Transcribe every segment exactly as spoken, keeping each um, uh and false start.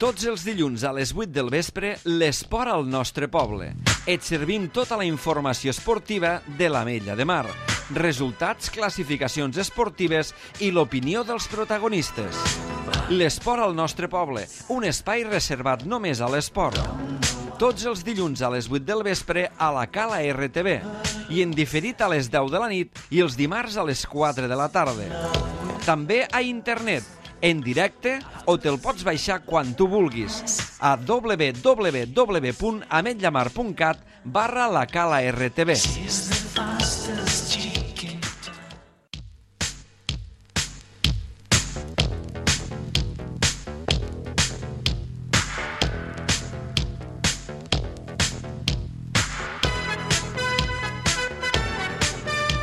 Tots els dilluns a les vuit del vespre, l'esport al nostre poble. Et servim tota la informació esportiva de l'Ametlla de Mar. Resultats, classificacions esportives i l'opinió dels protagonistes. L'esport al nostre poble, un espai reservat només a l'esport. Tots els dilluns a les vuit del vespre a la Cala R T V i en diferit a les deu de la nit i els dimarts a les quatre de la tarda. També a internet, en directe, o te'l pots baixar quan tu vulguis a w w w punt ametllamar punt cat barra la Cala R T V.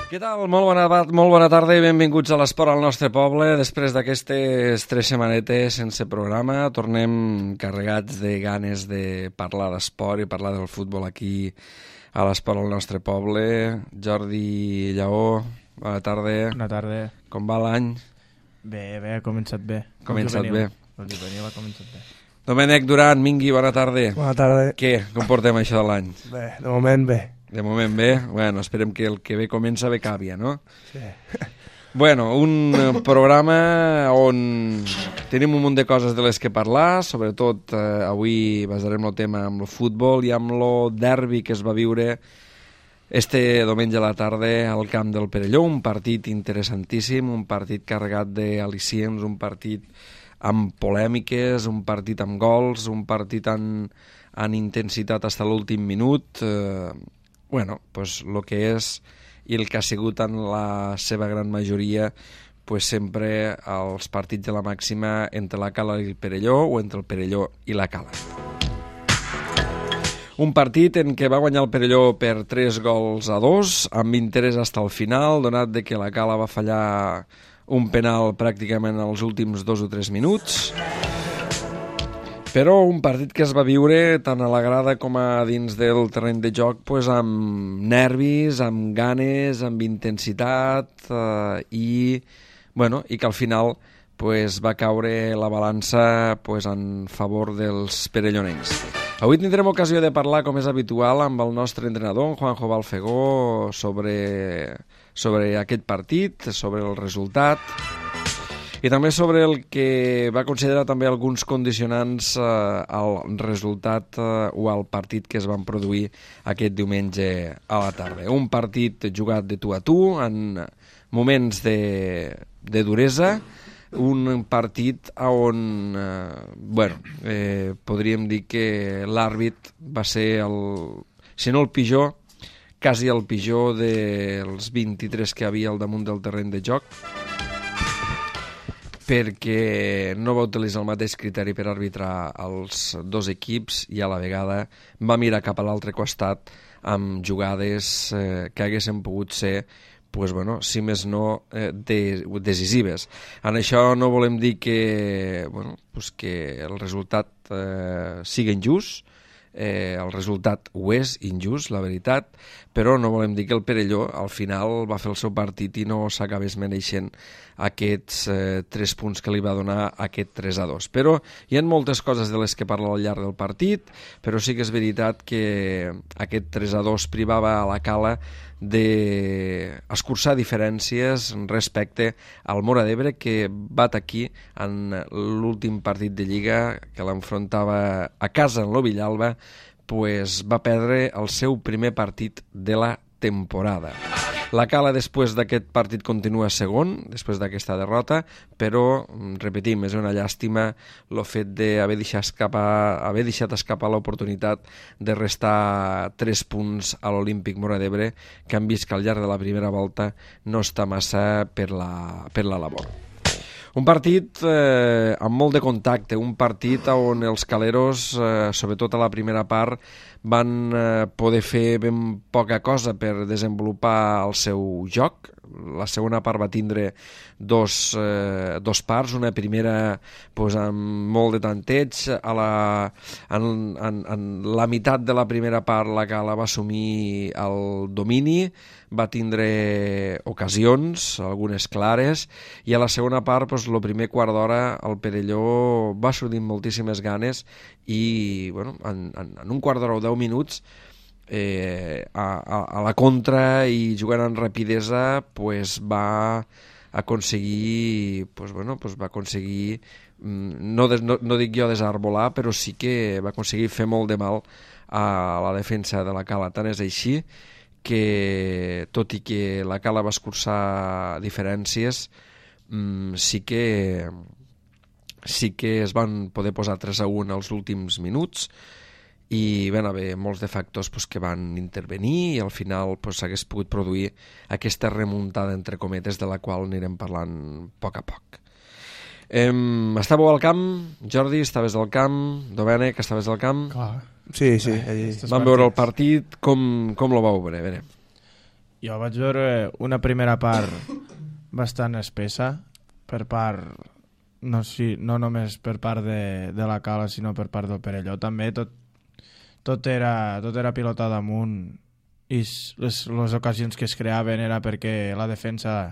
Què tal? Molt bona, molt bona tarda i benvinguts a l'Esport al nostre poble. Després d'aquestes tres setmanetes sense programa, tornem carregats de ganes de parlar d'esport i parlar del futbol aquí a l'Esport al nostre poble. Jordi Lleó, bona tarda. Bona tarda. Com va l'any? Bé, bé, ha començat bé. Ha començat bé. El juvenil ha començat bé. Domènec Duran, Mingui, bona tarda. Bona tarda. Què? Com portem això de l'any? Bé, de moment bé. De moment bé? Bueno, esperem que el que bé comença bé càvia, no? Sí. Bueno, un programa on tenim un munt de coses de les que parlar, sobretot eh, avui basarem el tema amb el futbol i amb el derbi que es va viure este diumenge a la tarda al camp del Perelló, un partit interessantíssim, un partit carregat d'al·licients, un partit amb polèmiques, un partit amb gols, un partit amb, amb intensitat fins a l'últim minut. Eh, bueno, pues el que és i el que ha sigut en la seva gran majoria pues sempre els partits de la màxima entre la Cala i el Perelló o entre el Perelló i la Cala. Un partit en què va guanyar el Perelló per tres gols a dos, amb interès fins al final, donat de que la Cala va fallar un penal pràcticament als últims dos o tres minuts. Però un partit que es va viure tant a la grada com a dins del terreny de joc pues, amb nervis, amb ganes, amb intensitat eh, i, bueno, i que al final pues, va caure la balança pues, en favor dels perellonencs. Avui tindrem ocasió de parlar, com és habitual, amb el nostre entrenador, Juanjo Balfegó, sobre, sobre aquest partit, sobre el resultat i també sobre el que va considerar també alguns condicionants eh, al resultat eh, o al partit que es van produir aquest diumenge a la tarda. Un partit jugat de tu a tu, en moments de, de duresa, un partit on, eh, bueno, eh, podríem dir que l'àrbit va ser, el, si no el pitjor, quasi el pitjor dels vint-i-tres que havia al damunt del terreny de joc, perquè no va utilitzar el mateix criteri per arbitrar els dos equips i a la vegada va mirar cap a l'altre costat amb jugades eh, que haguessin pogut ser, pues, bueno, si més no, eh, de, decisives. En això no volem dir que, bueno, pues que el resultat eh, sigui injust, eh, el resultat ho és injust, la veritat, però no volem dir que el Perelló al final va fer el seu partit i no s'acabés mereixent aquests eh, tres punts que li va donar aquest tres a dos. Però hi ha moltes coses de les que parla al llarg del partit, però sí que és veritat que aquest tres a dos privava a la Cala d'escurçar diferències respecte al Móra d'Ebre, que bat aquí en l'últim partit de Lliga que l'enfrontava a casa en lo Villalba, pues va perdre el seu primer partit de la temporada. La Cala després d'aquest partit continua segon, després d'aquesta derrota, però, repetim, és una llàstima el fet d'haver deixat escapar, haver deixat escapar l'oportunitat de restar tres punts a l'Olímpic Móra d'Ebre, que han vist que al llarg de la primera volta no està massa per la, per la labor. Un partit eh, amb molt de contacte, un partit on els caleros, eh, sobretot a la primera part, van eh, poder fer ben poca cosa per desenvolupar el seu joc, la segona part va tindre dos, eh, dos parts, una primera pues, amb molt de tanteig, a la, en, en, en la meitat de la primera part la Cala va assumir el domini, va tindre ocasions, algunes clares, i a la segona part, pues, el primer quart d'hora, el Perelló va sortir moltíssimes ganes i bueno, en, en, en un quart d'hora o deu minuts eh, a, a, a la contra i jugant amb rapidesa pues, va aconseguir pues, bueno, pues, va aconseguir no, des, no, no dic jo desarbolar, però sí que va aconseguir fer molt de mal a la defensa de la Cala. Tant és així que, tot i que la Cala va escurçar diferències, mmm, sí que sí que es van poder posar tres a u als últims minuts i van haver molts de factors pues, que van intervenir i al final s'hagués pues, pogut produir aquesta remuntada entre cometes de la qual anirem parlant a poc a poc. Em, estàveu al camp? Jordi, estaves al camp? Domènec, estaves al camp? Clar. Sí, sí. Allí. Vam veure el partit, com, com lo vau veure? A veure. Jo vaig veure una primera part bastant espessa per part, no, sí, no només per part de, de la Cala, sinó per part del Perelló. També tot, tot, era, tot era pilotat amunt i les, les ocasions que es creaven era perquè la defensa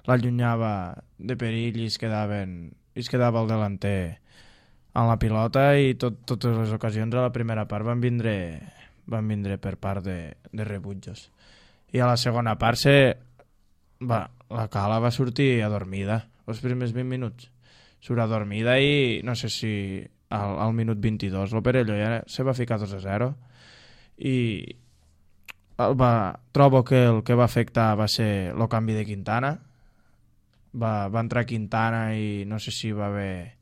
l'allunyava de perill i es quedaven i es quedava el delanter en la pilota i tot, totes les ocasions a la primera part van vindre, van vindre per part de, de rebutjos. I a la segona part se, va, la Cala va sortir adormida els primers vint minuts. Surt adormida i no sé si al, al minut vint-i-dos el Perelló ja se va ficar dos a zero i va, trobo que el que va afectar va ser el canvi de Quintana. Va, va entrar Quintana i no sé si va haver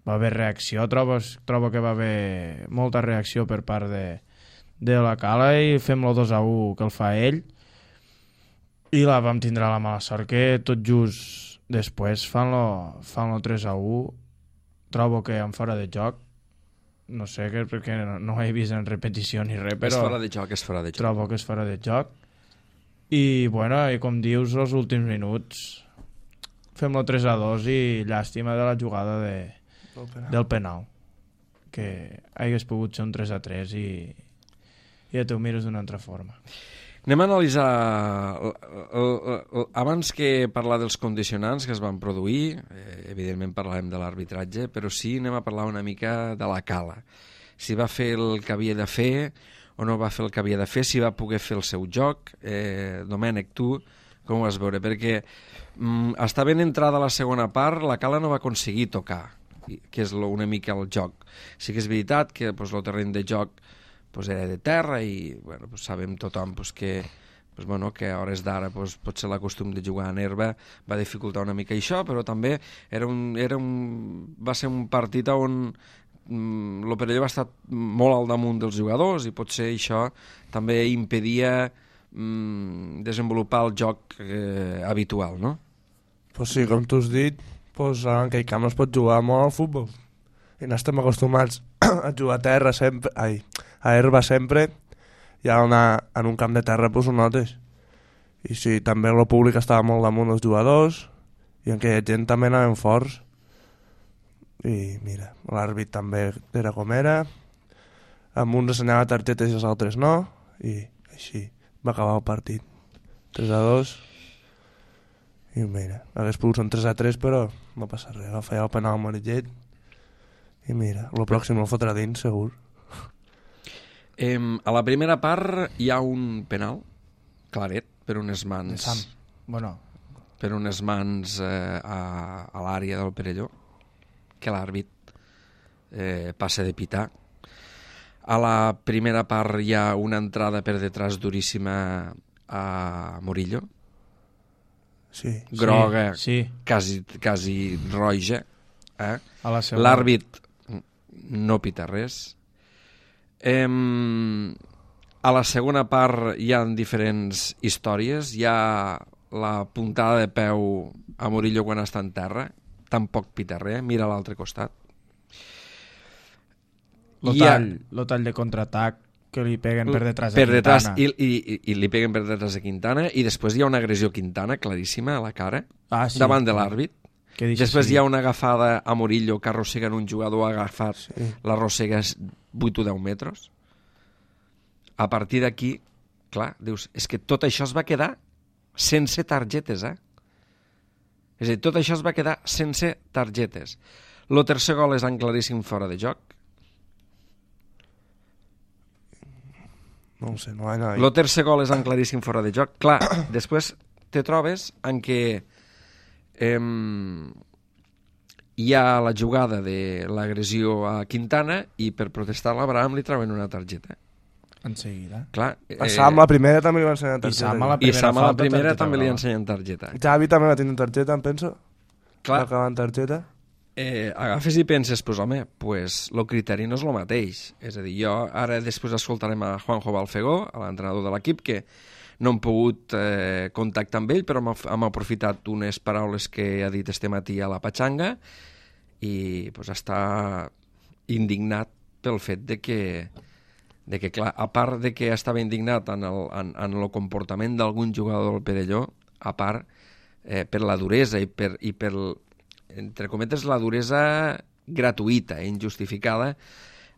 va haver reacció, trobo, trobo que va haver molta reacció per part de, de la Cala i fem-lo dos a u que el fa ell i la vam tindre la mala sort que tot just després fan-lo fan tres a u. Trobo que en fora de joc, no sé, que, perquè no, no ho he vist en repetició ni res, però és fora de joc, és fora de joc. Trobo que és fora de joc i bueno, i com dius, els últims minuts fem-lo tres a dos i llàstima de la jugada de, del penal, del penal que hagués pogut ser un tres a tres i, i ja t'ho mires d'una altra forma. Anem a analitzar abans que parlar dels condicionants que es van produir, eh, evidentment parlarem de l'arbitratge, però sí anem a parlar una mica de la Cala, si va fer el que havia de fer o no va fer el que havia de fer, si va poder fer el seu joc. eh, Domènec, tu com ho vas veure? Perquè mm, està ben entrada la segona part, la Cala no va aconseguir tocar, que és lo, una mica el joc. Sí que és veritat que pues, el terreny de joc pues, era de terra i bueno, pues, sabem tothom pues, que, pues, bueno, que a hores d'ara pues, potser la costum de jugar en herba va dificultar una mica això, però també era un, era un, va ser un partit on mm, el Perelló va estar molt al damunt dels jugadors i potser això també impedia mm, desenvolupar el joc eh, habitual, no? Pues sí, com tu has dit, pues, en aquell camp es pot jugar molt al futbol i n'estem acostumats a jugar a terra sempre, ai, a herba sempre, i anar en un camp de terra pues, ho notes. I sí, també el públic estava molt damunt dels jugadors i en aquella gent també anaven forts i mira, l'àrbit també era com era, amb uns assenyava targetes i els altres no, i així va acabar el partit tres a dos i mira, hagués pogut ser un tres a tres però no passa res, va fallar el penal amarillet i mira, el pròxim el fotrà dins segur. Eh, a la primera part hi ha un penal claret per unes mans Sam. Bueno, per unes mans eh, a, a l'àrea del Perelló que l'àrbit eh, passa de pitar. A la primera part hi ha una entrada per detrás duríssima a Murillo, Sí. groga, sí, sí. quasi, quasi roja, eh? A la segona. L'àrbit no pita res. Em, a la segona part hi ha diferents històries. Hi ha la puntada de peu a Murillo quan està en terra, tampoc pita res, mira a l'altre costat. Lo Hi ha- tall, lo tall de contraatac que li peguen per detrás per a detrás Quintana. i, i, i li peguen per detrás a Quintana, i després hi ha una agressió a Quintana claríssima a la cara, Ah, sí. davant de l'àrbit. Que deixa Després seguir. hi ha una agafada a Murillo que arrosseguen un jugador agafat, Sí. l'arrossega vuit o deu metres. A partir d'aquí, clar, dius, és que tot això es va quedar sense targetes, eh? És a dir, tot això es va quedar sense targetes. El tercer gol és en claríssim fora de joc. No ho sé, no vaig anar. El tercer gol és en claríssim fora de joc. Clar, després te trobes en què eh, hi ha la jugada de l'agressió a Quintana i per protestar l'Abraham li treuen una targeta. En seguida. Clar, eh, A Sam la primera també li van ensenyar I targeta. Sam a la i primera Sam a la falta, primera targeta també li blava. ensenyen targeta. Xavi també va tenir targeta, em penso. Clar, Va acabar en targeta. eh, agafes i penses, pues, home, pues, el criteri no és el mateix. És a dir, jo ara després escoltarem a Juanjo Balfegó, a l'entrenador de l'equip, que no hem pogut eh, contactar amb ell, però hem, hem aprofitat unes paraules que ha dit este matí a la Patxanga i pues, està indignat pel fet de que, de que, clar, a part de que estava indignat en el, en, en el comportament d'algun jugador del Perelló, a part, eh, per la duresa i per, i per, entre cometes, la duresa gratuïta, injustificada,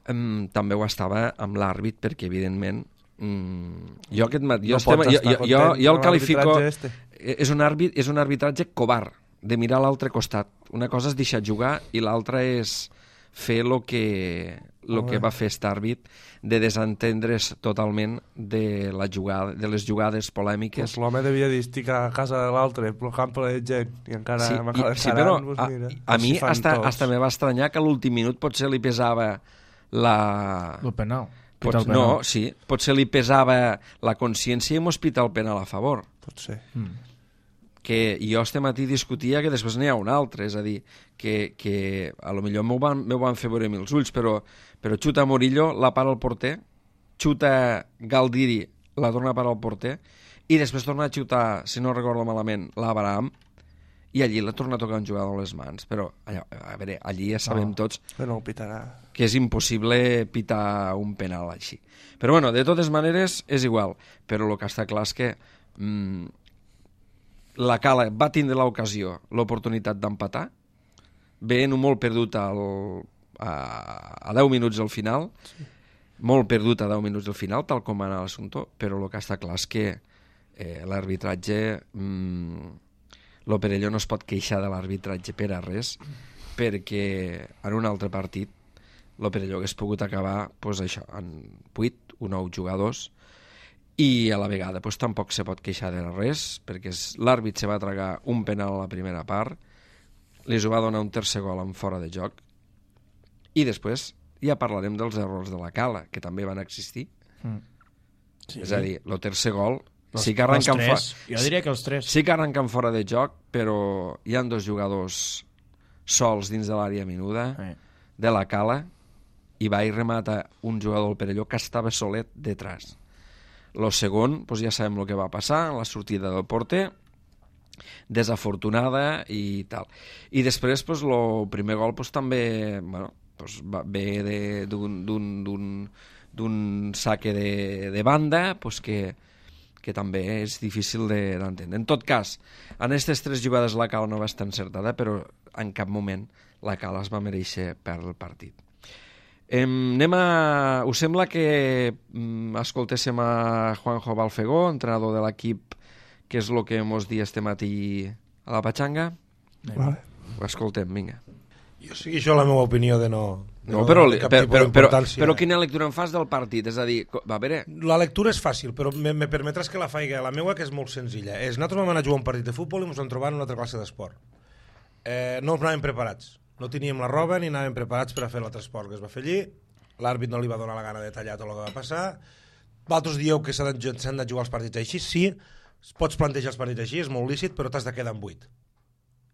eh, també ho estava amb l'àrbit, perquè, evidentment, mm, jo aquest matí... Jo, No estem, pots jo, estar jo, jo, content jo el amb qualifico... l'arbitratge este. És un, àrbit, és un arbitratge covard, de mirar a l'altre costat. Una cosa és deixar jugar i l'altra és fer el que, lo que va fer aquest àrbit, de desentendre's totalment de, la jugada, de les jugades polèmiques. Pues l'home devia dir, estic a casa de l'altre, plogant per la gent, i encara Sí, m'acaba i, sí, però encarant, pues a, mira, a mi així fan hasta, tots. hasta me va estranyar que a l'últim minut potser li pesava la... El penal. Pot, Pita el no, penal. sí, potser li pesava la consciència i mos pita el penal a favor. Pot ser. Mm. Que jo este matí discutia que després n'hi ha un altre, és a dir, que, que a lo millor m'ho van, m'ho van fer veure mil ulls, però, però xuta Murillo, la para el porter, xuta Galdiri, la torna a parar el porter, i després torna a xutar, si no recordo malament, l'Abraham, i allí la torna a tocar un jugador a les mans. Però, allò, a veure, allí ja sabem No. tots Que no ho pitarà. que és impossible pitar un penal així. Però bueno, de totes maneres és igual, però el que està clar és que mm, la Cala va tindre l'ocasió, l'oportunitat d'empatar, veient-ho molt perdut al, a, a deu minuts al final, sí. molt perdut a deu minuts al final, tal com va anar l'assumpte, però el que està clar és que eh, l'arbitratge, mm, el Perelló no es pot queixar de l'arbitratge per a res, perquè en un altre partit el Perelló hagués pogut acabar pues, això, en vuit o nou jugadors, i a la vegada pues, tampoc se pot queixar de res, perquè l'àrbit se va tragar un penal a la primera part, li va donar un tercer gol en fora de joc, i després ja parlarem dels errors de la Cala, que també van existir. Mm. Sí. És a dir, el tercer gol Els, sí que arrenquen els fora, tres. Jo diria que els tres. sí que arrenquen fora de joc, però hi han dos jugadors sols dins de l'àrea menuda Eh. de la Cala, i va i remata un jugador del Perelló que estava solet detrás. Lo segon, doncs ja sabem el que va passar, la sortida del porter, desafortunada i tal. I després, doncs, el primer gol doncs, també bueno, doncs, va, ve d'un saque de, de banda doncs, que, que també és difícil d'entendre. De, en tot cas, en aquestes tres jugades la Cala no va estar encertada, però en cap moment la Cala es va mereixer perdre el partit. Em, anem a... Us sembla que mm, escoltéssim a Juanjo Balfegó, entrenador de l'equip, que és el que mos di este matí a la Patxanga? Vale. Ho escoltem, vinga. Jo sigui això la meva opinió de no... de No, però, de cap però, tipus però, però, d'importància. però quina lectura en fas del partit? És a dir, co- va, a veure... La lectura és fàcil, però me, me permetràs que la faig la meva, que és molt senzilla. És, nosaltres vam anar a jugar un partit de futbol i ens vam trobar en una altra classe d'esport. Eh, no ens anàvem preparats. No teníem la roba ni anàvem preparats per a fer l'altre esport que es va fer allí. L'àrbit no li va donar la gana de tallar tot el que va passar. Vosaltres dieu que s'han de, s'han de jugar els partits així. Sí, pots plantejar els partits així, és molt lícit, però t'has de quedar en vuit.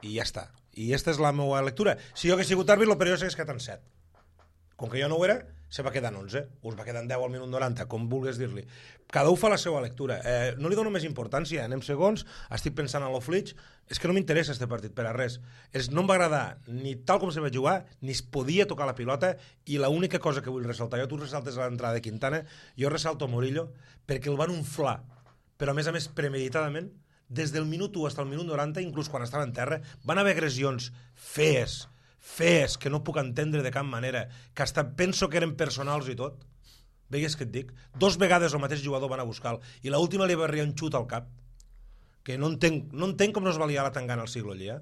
I ja està. I aquesta és la meva lectura. Si jo hagués sigut àrbit, el Perelló s'hagués quedat en set. Com que jo no ho era, se va quedar en onze, us va quedar en deu al minut noranta, com vulguis dir-li. Cada un fa la seva lectura. Eh, no li dono més importància, anem segons, estic pensant en l'Oflitx, és que no m'interessa este partit per a res. És, no em va agradar ni tal com se va jugar, ni es podia tocar la pilota, i l'única cosa que vull ressaltar, jo tu ressaltes a l'entrada de Quintana, jo ressalto Murillo, perquè el van inflar, però a més a més premeditadament, des del minut u fins al minut noranta, inclús quan estava en terra, van haver agressions fees, fees, que no puc entendre de cap manera, que hasta penso que eren personals i tot. Veigues què et dic? Dos vegades el mateix jugador van a buscar-lo, i l'última li va arribar un xut al cap, que no entenc, no entenc com no es va liar la tangana al siglo allà.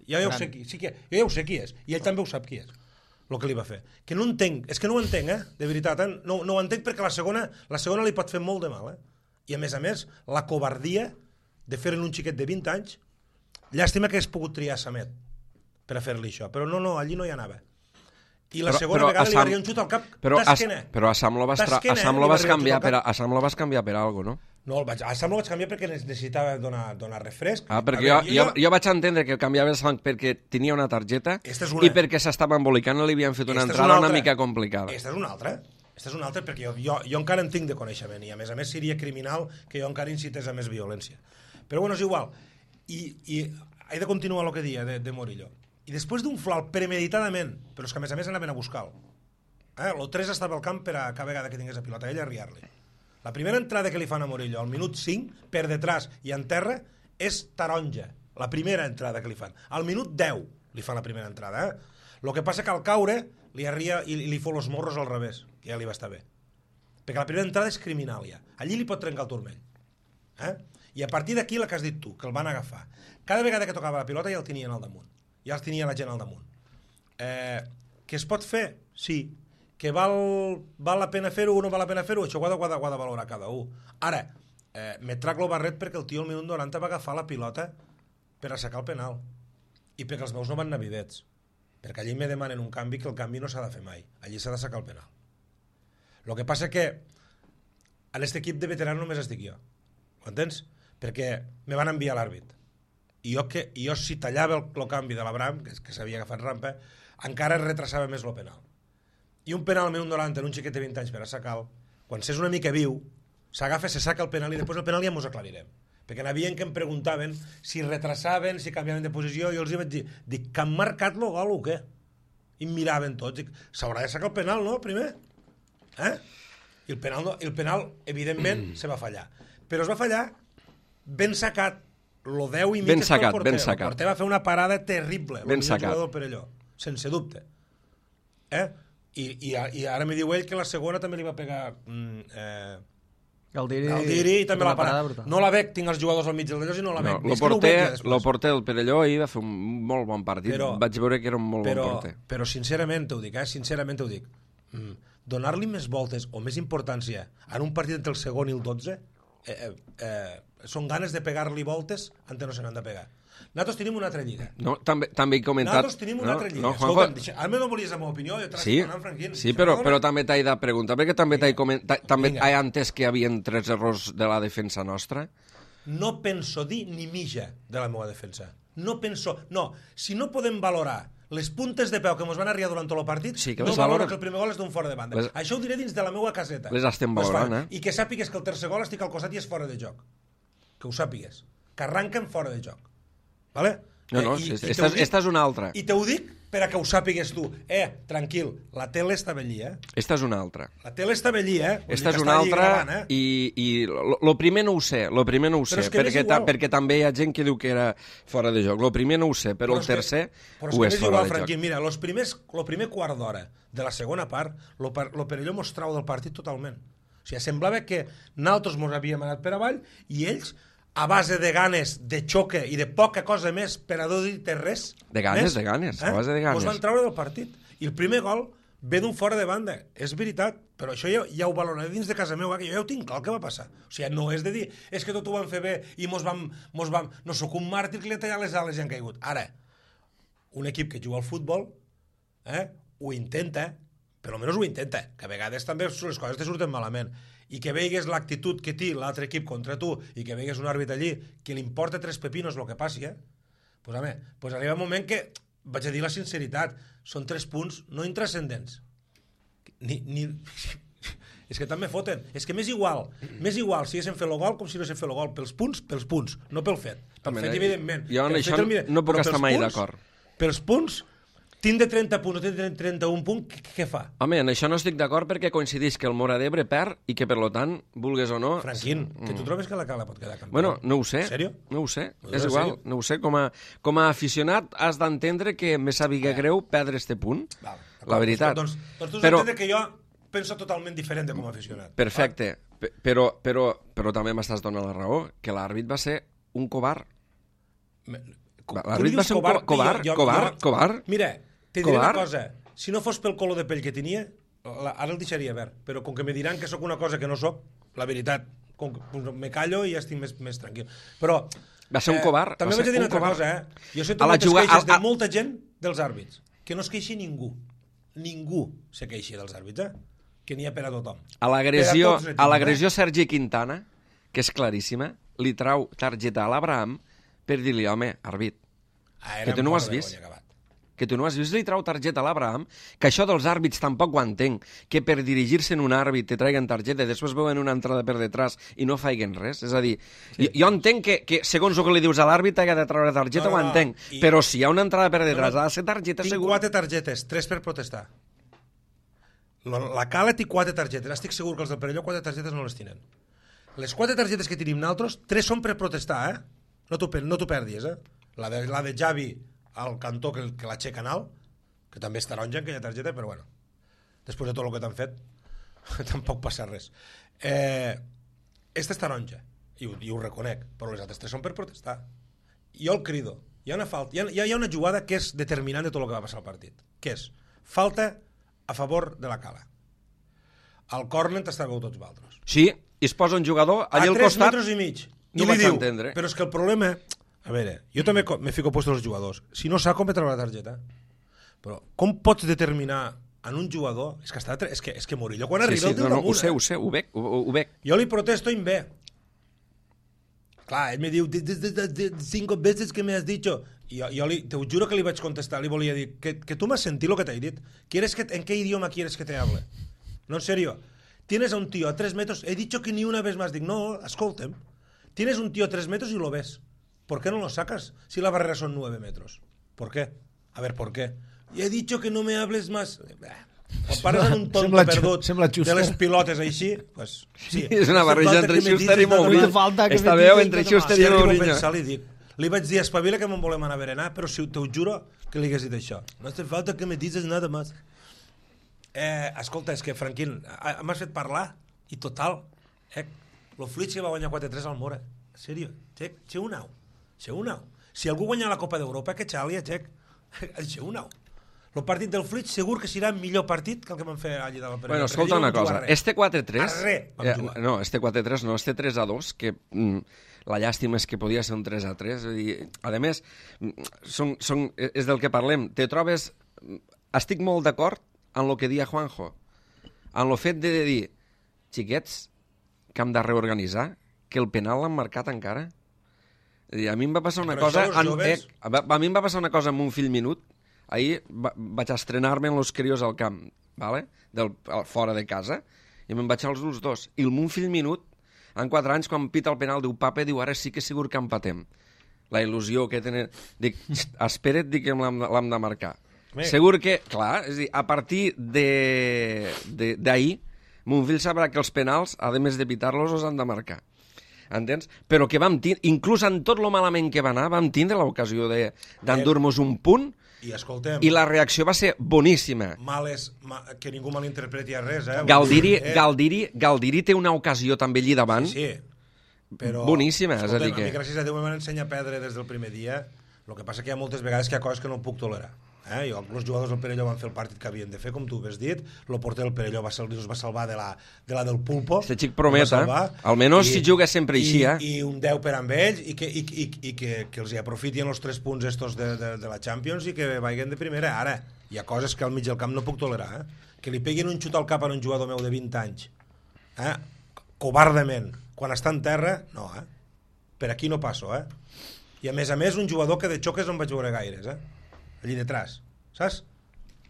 Ja, ja ho sé qui, sí que, jo ja ho sé qui és, i ell també ho sap qui és, el que li va fer. Que no entenc, és que no ho entenc, eh? De veritat, eh? No, no ho entenc perquè la segona, la segona li pot fer molt de mal, eh? I a més a més, la covardia de fer-en un xiquet de vint anys, llàstima que hagués pogut triar Samet per a fer-li això, però no, no, allí no hi anava. I la però, segona però vegada Sam, li va arribar un xut al cap d'esquena. Però a Sam lo vas, lo vas canviar per a, a Sam lo vas canviar per algo, no? No, el vaig, a Sam lo vaig canviar perquè necessitava donar, donar refresc. Ah, perquè veure, jo, jo, jo, jo vaig entendre que canviava el Sam perquè tenia una targeta una... i perquè s'estava embolicant i li havien fet una esta entrada una, una mica complicada. Esta és una altra. Esta és una altra perquè jo, jo, jo encara en tinc de coneixement i a més a més seria criminal que jo encara incités a més violència. Però bueno, és igual. I, i he de continuar el que dia de, de Murillo. I després d'un flau premeditadament, però és que a més a més anaven a buscar-lo. Eh? El tres estava al camp per a cada vegada que tingués la pilota, ell a riar-li. La primera entrada que li fan a Murillo, al minut cinc, per detrás i en terra, és taronja. La primera entrada que li fan. Al minut deu li fan la primera entrada. Eh? El que passa que al caure li arria i li fot els morros al revés, que ja li va estar bé. Perquè la primera entrada és criminal, ja. Allí li pot trencar el turmell. Eh? I a partir d'aquí la que has dit tu, que el van agafar. Cada vegada que tocava la pilota ja el tenien al damunt. Ja els tenia la gent al damunt. Eh, que es pot fer? Sí. Que val, val la pena fer-ho o no val la pena fer-ho? Això ho ha de, ho ha de, ho ha de valorar cada un. Ara, eh, me trac lo barret perquè el tio al minut noranta va agafar la pilota per assecar el penal. I perquè els meus no van anar videts. Perquè allí me demanen un canvi que el canvi no s'ha de fer mai. Allí s'ha d'assecar el penal. El que passa que en aquest equip de veterans només estic jo. Ho entens? Perquè me van enviar l'àrbit. I jo, que, jo si tallava el, el canvi de l'Abraham, que, que s'havia agafat rampa, encara retrasava més el penal. I un penal al minut noranta en un xiquet de vint anys per assecar-lo, quan s'és una mica viu, s'agafa, se saca el penal i després el penal ja mos aclarirem. Perquè n'havien que em preguntaven si retrasaven, si canviaven de posició, i jo els hi vaig dir, dic, que han marcat el gol o què? I em miraven tots, dic, s'haurà de sacar el penal, no, primer? Eh? I el penal, no, el penal evidentment, se va fallar. Però es va fallar ben sacat. Lo deu i mig ben sacat, el porter. Ben sacat. El porter va fer una parada terrible. Ben sacat. El Perelló, sense dubte. Eh? I, i, I ara me diu ell que la segona també li va pegar mm, eh, Galdiri, Galdiri i també la parada. No la veig, tinc els jugadors al mig del d'allò i no la veig. No, el porter, no el porter del Perelló ahir va fer un molt bon partit. Però, vaig veure que era un molt però, bon porter. Però sincerament t'ho dic, eh? Sincerament t'ho dic. Mm, donar-li més voltes o més importància en un partit entre el segon i el dotze eh, eh, eh, són ganes de pegar-li voltes antes no se n'han de pegar. Nosaltres tenim una altra lliga. No, també, també he comentat... Nosaltres tenim una no, altra lliga. No, Escolta'm, deixa, ara no volies la meva opinió, jo t'he sí, Franquín. sí, però, però també t'he de preguntar, perquè també t'he comentat, també he entès que hi havia tres errors de la defensa nostra. No penso dir ni mitja de la meva defensa. No penso... No, si no podem valorar les puntes de peu que ens van arribar durant tot el partit, sí, que no valoro que el primer gol és d'un fora de banda. Les... Això ho diré dins de la meva caseta. Les estem valorant, eh? I que sàpigues que el tercer gol estic al costat i és fora de joc. Que ho sàpigues. Que arranquen fora de joc. Vale? No, no, eh, i, esta, i dic, esta és una altra. I te ho dic per a que ho sàpigues tu. Eh, tranquil, la tele està allí, eh? Esta és una altra. La tele està allí, eh? Esta és una altra gravant, eh? i, i lo, lo primer no ho sé, lo primer no ho sé, perquè, ta, perquè també hi ha gent que diu que era fora de joc. Lo primer no ho sé, però, però el tercer que, ho és, és fora igual, de Franquín, joc. Mira, los primers, lo primer quart d'hora de la segona part, lo, lo Perelló mos trau del partit totalment. O sigui, semblava que nosaltres mos havíem anat per avall i ells a base de ganes, de xoque i de poca cosa més per a no dir-te res. De ganes, més, de ganes, eh? a base de ganes. Ens van treure del partit. I el primer gol ve d'un fora de banda. És veritat, però això ja, ja ho valoraré dins de casa meva, que jo ja ho tinc clar el que va passar. O sigui, no és de dir, és que tot ho van fer bé i mos vam... Mos vam no sóc un màrtir que li ha tallat les ales i han caigut. Ara, un equip que juga al futbol eh, ho intenta, però almenys ho intenta, que a vegades també les coses te surten malament. I que veigues l'actitud que té l'altre equip contra tu i que veigues un àrbit allí que li importa tres pepinos el que passi, eh? Pues, home, pues arriba un moment que, vaig a dir la sinceritat, són tres punts no intrascendents. Ni, ni... És que també foten. És que m'és igual. M'és igual si haguéssim fet el gol com si no haguéssim fet el gol. Pels punts, pels punts, no pel fet. Pel Home, fet, evidentment. Jo en això no puc estar mai d'acord. Pels punts, tinc de trenta punts o tinc de trenta-un punts, què fa? Home, en això no estic d'acord perquè coincideix que el Móra d'Ebre perd i que, per lo tant, vulgues o no... Franquín, que tu trobes que la Cala pot quedar campió? Bueno, no ho sé. En sèrio? No ho sé. No, És en igual, sèrio? no ho sé. Com a, com a aficionat has d'entendre que me sàpiga greu perdre este punt. Val, La veritat. Doncs, doncs tu has Però- d'entendre que jo penso totalment diferent de com a aficionat. Perfecte, Pe- però, però, però també m'estàs donant la raó, que l'àrbit va ser un covard. Me- L'àrbit Tu va dius ser un covard, co- covard, jo- jo- covard, jo- covard. Mira, te diré Covard. una cosa. Si no fos pel color de pell que tenia, la, ara el deixaria verd. Però com que me diran que sóc una cosa que no sóc, la veritat, com que, doncs, me callo i ja estic més, més tranquil. Però... Va ser un covard, També va vaig ser dir un una altra covard. cosa, eh? Jo sento A la moltes juga- queixes a- a- de molta gent dels àrbits. Que no es queixi ningú. Ningú se queixi dels àrbits, eh? Que n'hi ha per a tothom. A l'agressió Per a tots n'hi a tinc, l'agressió Sergi Quintana, que és claríssima, li trau targeta a l'Abraham per dir-li, home, àrbit, Ah, que tu no ho has vist. que tu no has vist, li trau targeta a l'Abraham, que això dels àrbits tampoc ho entenc, que per dirigir-se en un àrbit te traiguen targeta i després veuen una entrada per detrás i no faiguen res. És a dir, sí. jo, jo entenc que, que segons el que li dius a l'àrbit ha de treure targeta, No, no, ho no. entenc, I- però si hi ha una entrada per detrás No, no. ha de ser targeta Tinc segur. quatre targetes, tres per protestar. La, la Cala té quatre targetes. Estic segur que els del Perelló quatre targetes no les tenen. Les quatre targetes que tenim nosaltres, tres són per protestar, eh? No t'ho per- no t'ho perdis, eh? La de, la de Javi al cantó que, que l'aixeca en alt, que també és taronja en aquella targeta, però bueno, després de tot el que t'han fet, tampoc passa res. Eh, esta és taronja, i ho, i ho reconec, però les altres tres són per protestar. Jo el crido. Hi ha una falta, hi ha, hi ha una jugada que és determinant de tot el que va passar al partit, que és falta a favor de la Cala. Al córner t'estàveu tots vosaltres. Sí, i es posa un jugador allà A al tres costat. metres i mig. No I vaig li diu, entendre. però és que el problema... A veure, jo també co- me fico puesto als jugadors. Si no sap com me treure la targeta. Però com pots determinar en un jugador... És que, està, tre- és que, és que Murillo quan Sí, arriba sí, el diu no, no, ho damunt, sé, eh? ho sé, ho veig, ho, ho, ho veig. Jo li protesto en B. Clar, ell me diu, "De- de- de- de- cinco veces que me has dicho. I jo, jo li, te ho juro que li vaig contestar, li volia dir, que, que tu m'has sentit lo que t'he dit. ¿Quieres que, ¿En qué idioma quieres que te hable? No, en serio. Tienes a un tío a tres metros, he dicho que ni una vez más. Dic, no, escolta'm. Tienes un tío a tres metros y lo ves. ¿Por qué no lo sacas? Si la barrera son nueve metros. ¿Por qué? A ver, ¿por qué? Y he dicho que no me hables más. Quan parles en un tonto Sembla- perdut sembla de Schuster. les pilotes així, pues, sí. És una barreja Falta entre que me Schuster dices i nada más. Mourinho. No falta que Esta me veu dices entre nada más. Schuster Si i arribo a Mourinho. pensar, li dic, li vaig dir, espavila que me'n volem anar a berenar, però si te ho juro que li hagués dit això. No hace falta que me dices nada más. Eh, escolta, és que, Franquín, a- m'has fet parlar, i total, eh, lo Fluix que va guanyar quatre tres al Mora. En sèrio, xec, xe un au. Xe un au. Si algú guanya la Copa d'Europa, que xalia, xec. Xe un au. El partit del Fluix segur que serà millor partit que el que vam fer allà de la Perelló. Bueno, Perquè escolta allí no una vam jugar cosa, res. este quatre tres... A res vam eh, jugar. no, este quatre tres no, este tres a dos, que mm, la llàstima és que podia ser un tres a tres. És a dir, a més, mm, són, són, és del que parlem. Te trobes... Estic molt d'acord en el que dia Juanjo, en el fet de dir, xiquets, que hem de reorganitzar, que el penal l'han marcat encara. És a dir, a mi em va passar una Però cosa... això, els En, joves- eh, a, a mi em va passar una cosa amb un fill minut. Ahir va, vaig estrenar-me en los crios al camp, vale? Del, al, fora de casa, i me'n vaig als els dos. I el mon fill minut, en quatre anys, quan pita el penal, diu, papa, diu, ara sí que segur que empatem. La il·lusió que tenen... Dic, espera't, dic que l'hem de- l'hem de marcar. Bé. Segur que, clar, és a dir, a partir de- de- d'ahir, mon fill sabrà que els penals, a més de pitar-los, els han de marcar. Entens? Però que vam tindre, inclús en tot lo malament que va anar, vam tindre l'ocasió de- d'endur-nos un punt, I escoltem... i la reacció va ser boníssima. Males, ma, que ningú malinterpreti a res, eh? Galdiri, Eh, Galdiri, Galdiri té una ocasió també allí davant. Sí, sí. Però, Boníssima, és a escolta'm, dir que- a mi, gràcies a Déu, me van ensenyar a perdre des del primer dia. El que passa que hi ha moltes vegades que hi ha coses que no puc tolerar. Eh? Jo, els jugadors del Perelló van fer el partit que havien de fer, com tu has dit. El porter del Perelló va, sal, es va salvar de la, de la del Pulpo. Este xic el va prometa. salvar. Almenys si juga sempre així, i, eh? I un deu per amb ells i que, i, i, i que, que els hi aprofitin els tres punts estos de, de, de la Champions i que vagin de primera. Ara, hi ha coses que al mig del camp no puc tolerar. Eh? Que li peguin un xut al cap a un jugador meu de vint anys. Eh? Covardament. Quan està en terra, no, eh? Per aquí no passo, eh? I a més a més un jugador que de xoques no en vaig veure gaires, eh? Allí detrás, saps?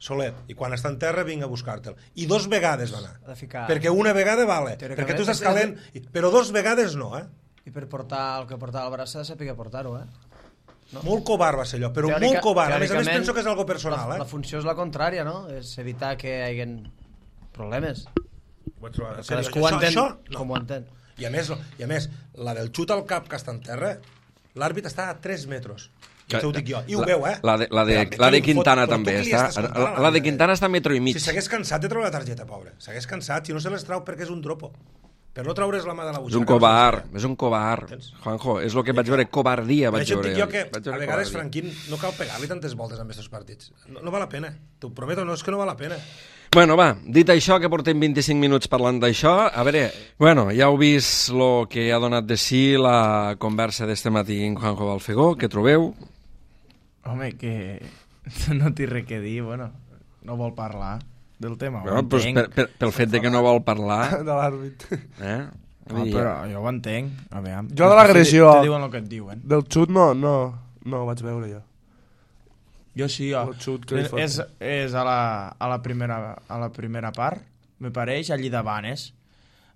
Soler, i quan està en terra vinga a buscar-te'l. I dos vegades va anar. Ha de ficar... Perquè una vegada vale, Teòricament, perquè tu estàs és- calent, però dos vegades no, eh? I per portar el que portava el braç s'ha de saber portar-ho, eh? No. Molt covard va ser allò, però Teòrica- molt covard. A més a més teòricament, penso que és algo personal, la, eh? la funció és la contrària, no? És evitar que hi hagi problemes. Ho vaig trobar, en Cadascú sèrio, ho entén això, no. com ho entén. I a més, I a més, la del xut al cap que està en terra, l'àrbit està a tres metres. I això ho dic jo. I ho la, veu, eh? La de, la de, Però, la de tu, Quintana però tu també qui li està... estàs contant, La, la de Quintana està a metro i mig. Si s'hagués cansat de treure la targeta, pobre. S'hagués cansat, si no se les trau perquè és un dropo. Per no traure's la mà de la butxaca. És un no covard, se les és un covard. Entens? Juanjo, és el que vaig veure, covardia Per vaig això et veure. dic jo que Vaig veure a vegades, covardia. Franquín, no cal pegar-li tantes voltes amb aquests partits. No, no val la pena. T'ho prometo, no és que no val la pena. Bueno, va, dit això, que portem vint-i-cinc minuts parlant d'això, a veure, bueno, ja heu vist el que ha donat de si la conversa d'este matí en Juanjo Balfegó, què trobeu? Home, que no té res que dir, bueno, no vol parlar del tema, Bueno, ho pues entenc. per, per, pel fet de que no vol parlar, de l'àrbit. eh? No, però jo ho entenc. A veure, Jo de l'agressió- Te, te diuen el que et diuen. Del xut no, no, no ho vaig veure jo. Jo sí, jo. El xut que li fot. És, és a, la, a, la primera, a la primera part, me pareix, allí davant és.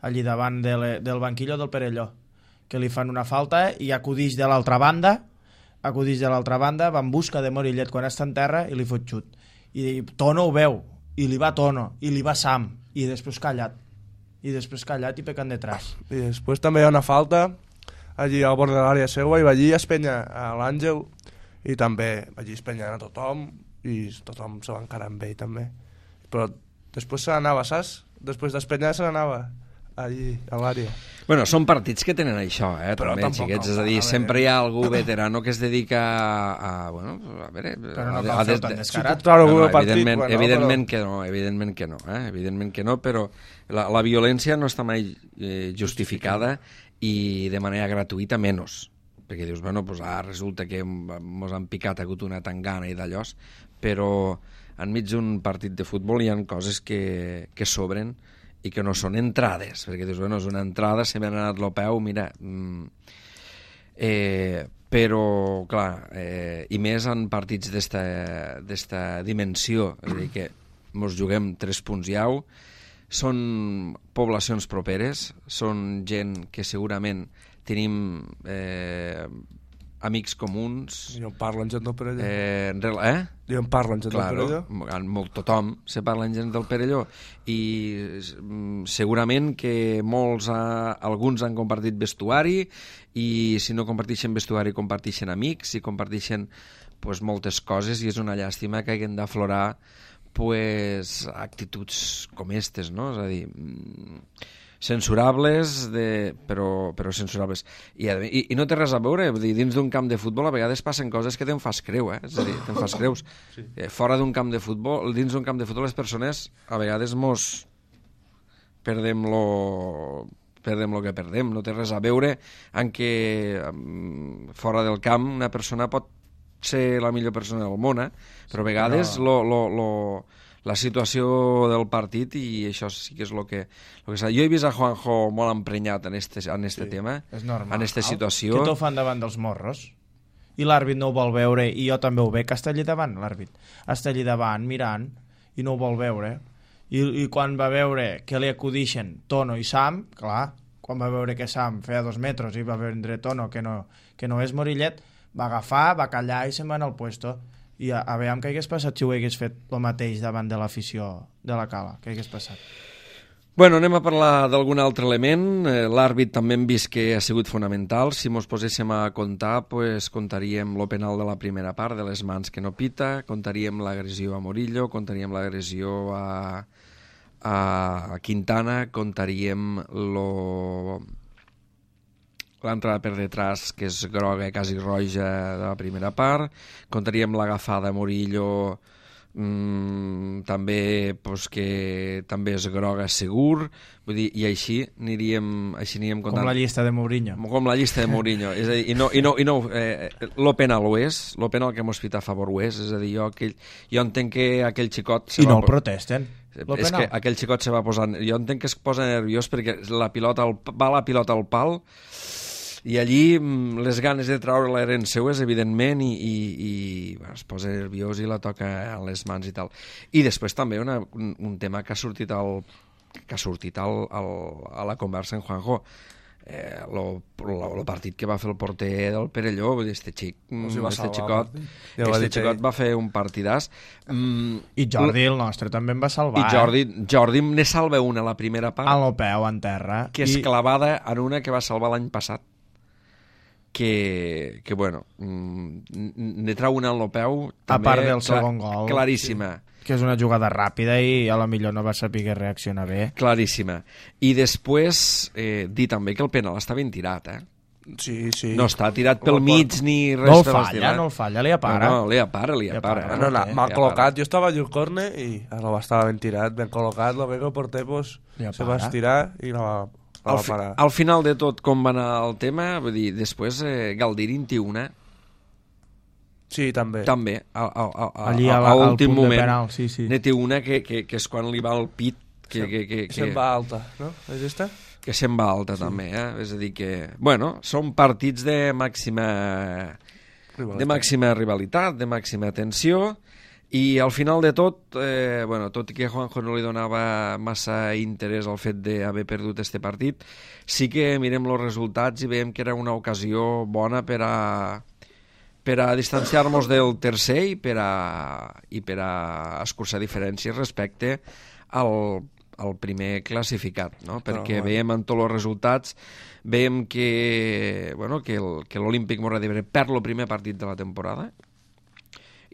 Allí davant de le, del banquillo del Perelló. Que li fan una falta i acudix de l'altra banda, acudix de l'altra banda, va en busca de Morillet quan està en terra i li fot xut. I Tono ho veu, i li va Tono, i li va Sam, i després callat. I després callat i pecant detrás. I després també hi ha una falta allí al bord de l'àrea seua i va allí espenya a l'Àngel i també va allí espenyant a tothom i tothom se va encarar amb ell també. Però després se n'anava, saps? Després d'espenyar se n'anava allí a l'àrea. Bueno, són partits que tenen això, eh, Però també, tampoc xiquets, cal és a dir, parar, sempre hi ha algú veterano que es dedica a, a bueno, a veure... Però no a, cal a, fer des- tan de- descarat. Si puc treure No, algun no, partit, evidentment, bueno, evidentment però... que no, evidentment que no, eh? evidentment que no, però la, la violència no està mai eh, justificada i de manera gratuïta menys, perquè dius, bueno, pues, ah, resulta que mos han picat, ha hagut una tangana i d'allòs, però enmig d'un partit de futbol hi ha coses que, que sobren i que no són entrades, perquè dius, bueno, és una entrada, se m'ha anat el peu, mira... Mm, eh, però, clar, eh, i més en partits d'esta dimensió, és a dir, que mos juguem tres punts i au, són poblacions properes, són gent que segurament tenim eh, amics comuns, I on parlen gent del Perelló. eh, rel- eh? I on parlen gent Claro, del Perelló. en molt, tothom se parla en gent del Perelló i mm, segurament que molts, ha, alguns han compartit vestuari i si no comparteixen vestuari comparteixen amics i comparteixen pues, moltes coses i és una llàstima que hagin d'aflorar pues, actituds com estes, no? És a dir, mm, censurables, de, però, però censurables. I, i, I no té res a veure, vull dir, dins d'un camp de futbol a vegades passen coses que te'n fas creu, eh? És a dir, te'n fas creus. Sí. Eh, fora d'un camp de futbol, dins d'un camp de futbol les persones a vegades mos perdem lo perdem lo que perdem, no té res a veure en que um, fora del camp una persona pot ser la millor persona del món, eh? Però a vegades lo, lo, lo, la situació del partit i això sí que és el que, lo que s'ha... Jo he vist a Juanjo molt emprenyat en este, en este sí, tema, És normal. en esta situació. Que t'ho fan davant dels morros. I l'àrbit no ho vol veure, i jo també ho veig, que està allà davant, l'àrbit. Està allà davant, mirant, i no ho vol veure. I, i quan va veure que li acudixen Tono i Sam, clar, quan va veure que Sam feia dos metres i va vendre Tono, que no, que no és Morillet, va agafar, va callar i se'n va anar al puesto. I a, a veure què hagués passat si ho hagués fet el mateix davant de l'afició de la Cala, què hagués passat? Bueno, anem a parlar d'algun altre element. Eh, L'àrbit també hem vist que ha sigut fonamental. Si mos poséssim a comptar, pues, comptaríem lo penal de la primera part, de les mans que no pita, comptaríem l'agressió a Morillo, comptaríem l'agressió a, a Quintana, comptaríem lo... l'entrada per detrás, que és groga, quasi roja, de la primera part, comptaríem l'agafada a Morillo, mm, també pues, que també és groga segur, vull dir, i així aniríem, així aniríem comptant. Com la llista de Mourinho. Com la llista de Mourinho, és a dir, i no, i no, i no eh, lo penal ho és, lo penal que mos fita a favor ho és, és a dir, jo, aquell, jo entenc que aquell xicot... I no el protesten. Lo És penal. que aquell xicot se va posar... Jo entenc que es posa nerviós perquè la pilota al, va la pilota al pal I allí les ganes de treure-la eren seues, evidentment, i, i, i bueno, es posa nerviós i la toca a les mans i tal. I després també una, un, un tema que ha sortit, al, que ha sortit al, al, a la conversa en Juanjo, eh, lo, lo, lo partit que va fer el porter del Perelló, vull dir, este xic, este xicot, ja este xicot va fer un partidàs. Mm, I Jordi, el nostre, també em va salvar. I Jordi, eh? Jordi ne salva una a la primera part. A lo peu, en terra. Que és I... clavada en una que va salvar l'any passat. Que, que bueno, ne trau una en lo peu. A part del segon gol. Claríssima. Sí. Que és una jugada ràpida i a la millor no va saber reaccionar bé. Claríssima. I després, eh, dir també que el penal està ben tirat, eh? Sí, sí. No està tirat pel mig ni res. No el falla, no el falla, li apara. No, no, li apara, li apara. No, no, no, m'ha col·locat, jo estava al corner i ara estava ben tirat, ben col·locat, lo que el porter pues, se va estirar i la va... Al, fi, al final de tot, com va anar el tema, vull dir, després eh, Galdirin té una. Sí, també. També, a, a, a, a, allí a, a l'últim moment. Penal, sí, sí. Ne té una que, que, que és quan li va al pit. Que, se'n, que, que, que, se'n va alta, no? És esta? Que se'n va alta, sí. També, eh? És a dir que... Bueno, són partits de màxima... Rivalitat. De màxima rivalitat, de màxima tensió... I al final de tot, eh, bueno, tot i que Juanjo no li donava massa interès al fet d'haver perdut este partit, sí que mirem els resultats i veiem que era una ocasió bona per a, per a distanciar-nos del tercer i per a, i per a escurçar diferències respecte al, al primer classificat, no? Perquè no, veiem en tots els resultats, veiem que, bueno, que l'Olímpic Móra d'Ebre perd el primer partit de la temporada,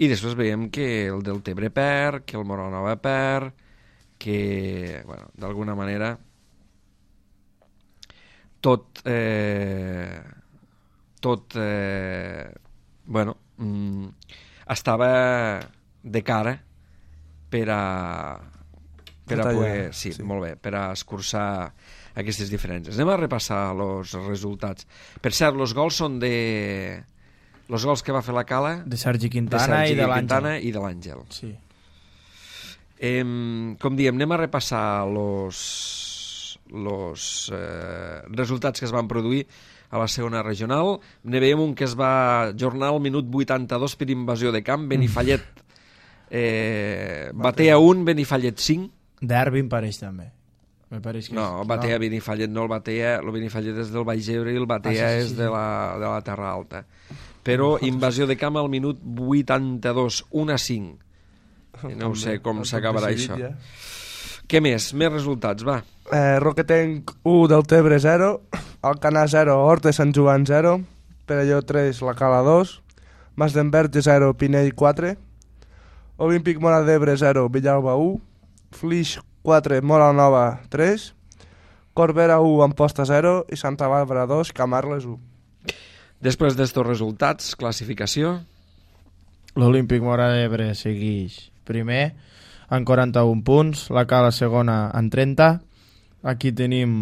i després veiem que el Deltebre perd, que el Moranova perd, que, bueno, d'alguna manera tot eh, tot eh, bueno mm, estava de cara per a per a poder, sí, sí, molt bé, per a escurçar aquestes diferències. Anem a repassar els resultats. Per cert, els gols són de... Els gols que va fer la Cala... De Sergi Quintana, de Sergi i de Quintana i de l'Àngel. Sí. Eh, com diem, anem a repassar els los, eh, resultats que es van produir a la segona regional. Ne veiem un que es va jornar al minut vuitanta-dos per invasió de camp. Benifallet eh, batea un, Benifallet cinc. Derbi em pareix també. Me pareix que no, és... batea no. Benifallet, no el batea, el Benifallet és del Baix Ebre i el batea ah, sí, sí, és sí. De, la, de la Terra Alta. Però invasió de camp al minut vuitanta-dos, un a cinc. No ho sé com s'acabarà això. Ja. Què més? Més resultats, va. Eh, Roquetenc u, Deltebre zero, Alcanar zero, Horta de Sant Joan zero, Perelló tres, La Cala dos, Mas d'Enverge zero, Pinell quatre, Olímpic Móra d'Ebre zero, Villalba u, Flix quatre, Móra Nova tres, Corbera u, Amposta zero i Santa Bàrbara dos, Camarles u. Després d'estos resultats, classificació. L'Olímpic Móra d'Ebre segueix primer en quaranta-un punts, la Cala segona en trenta. Aquí tenim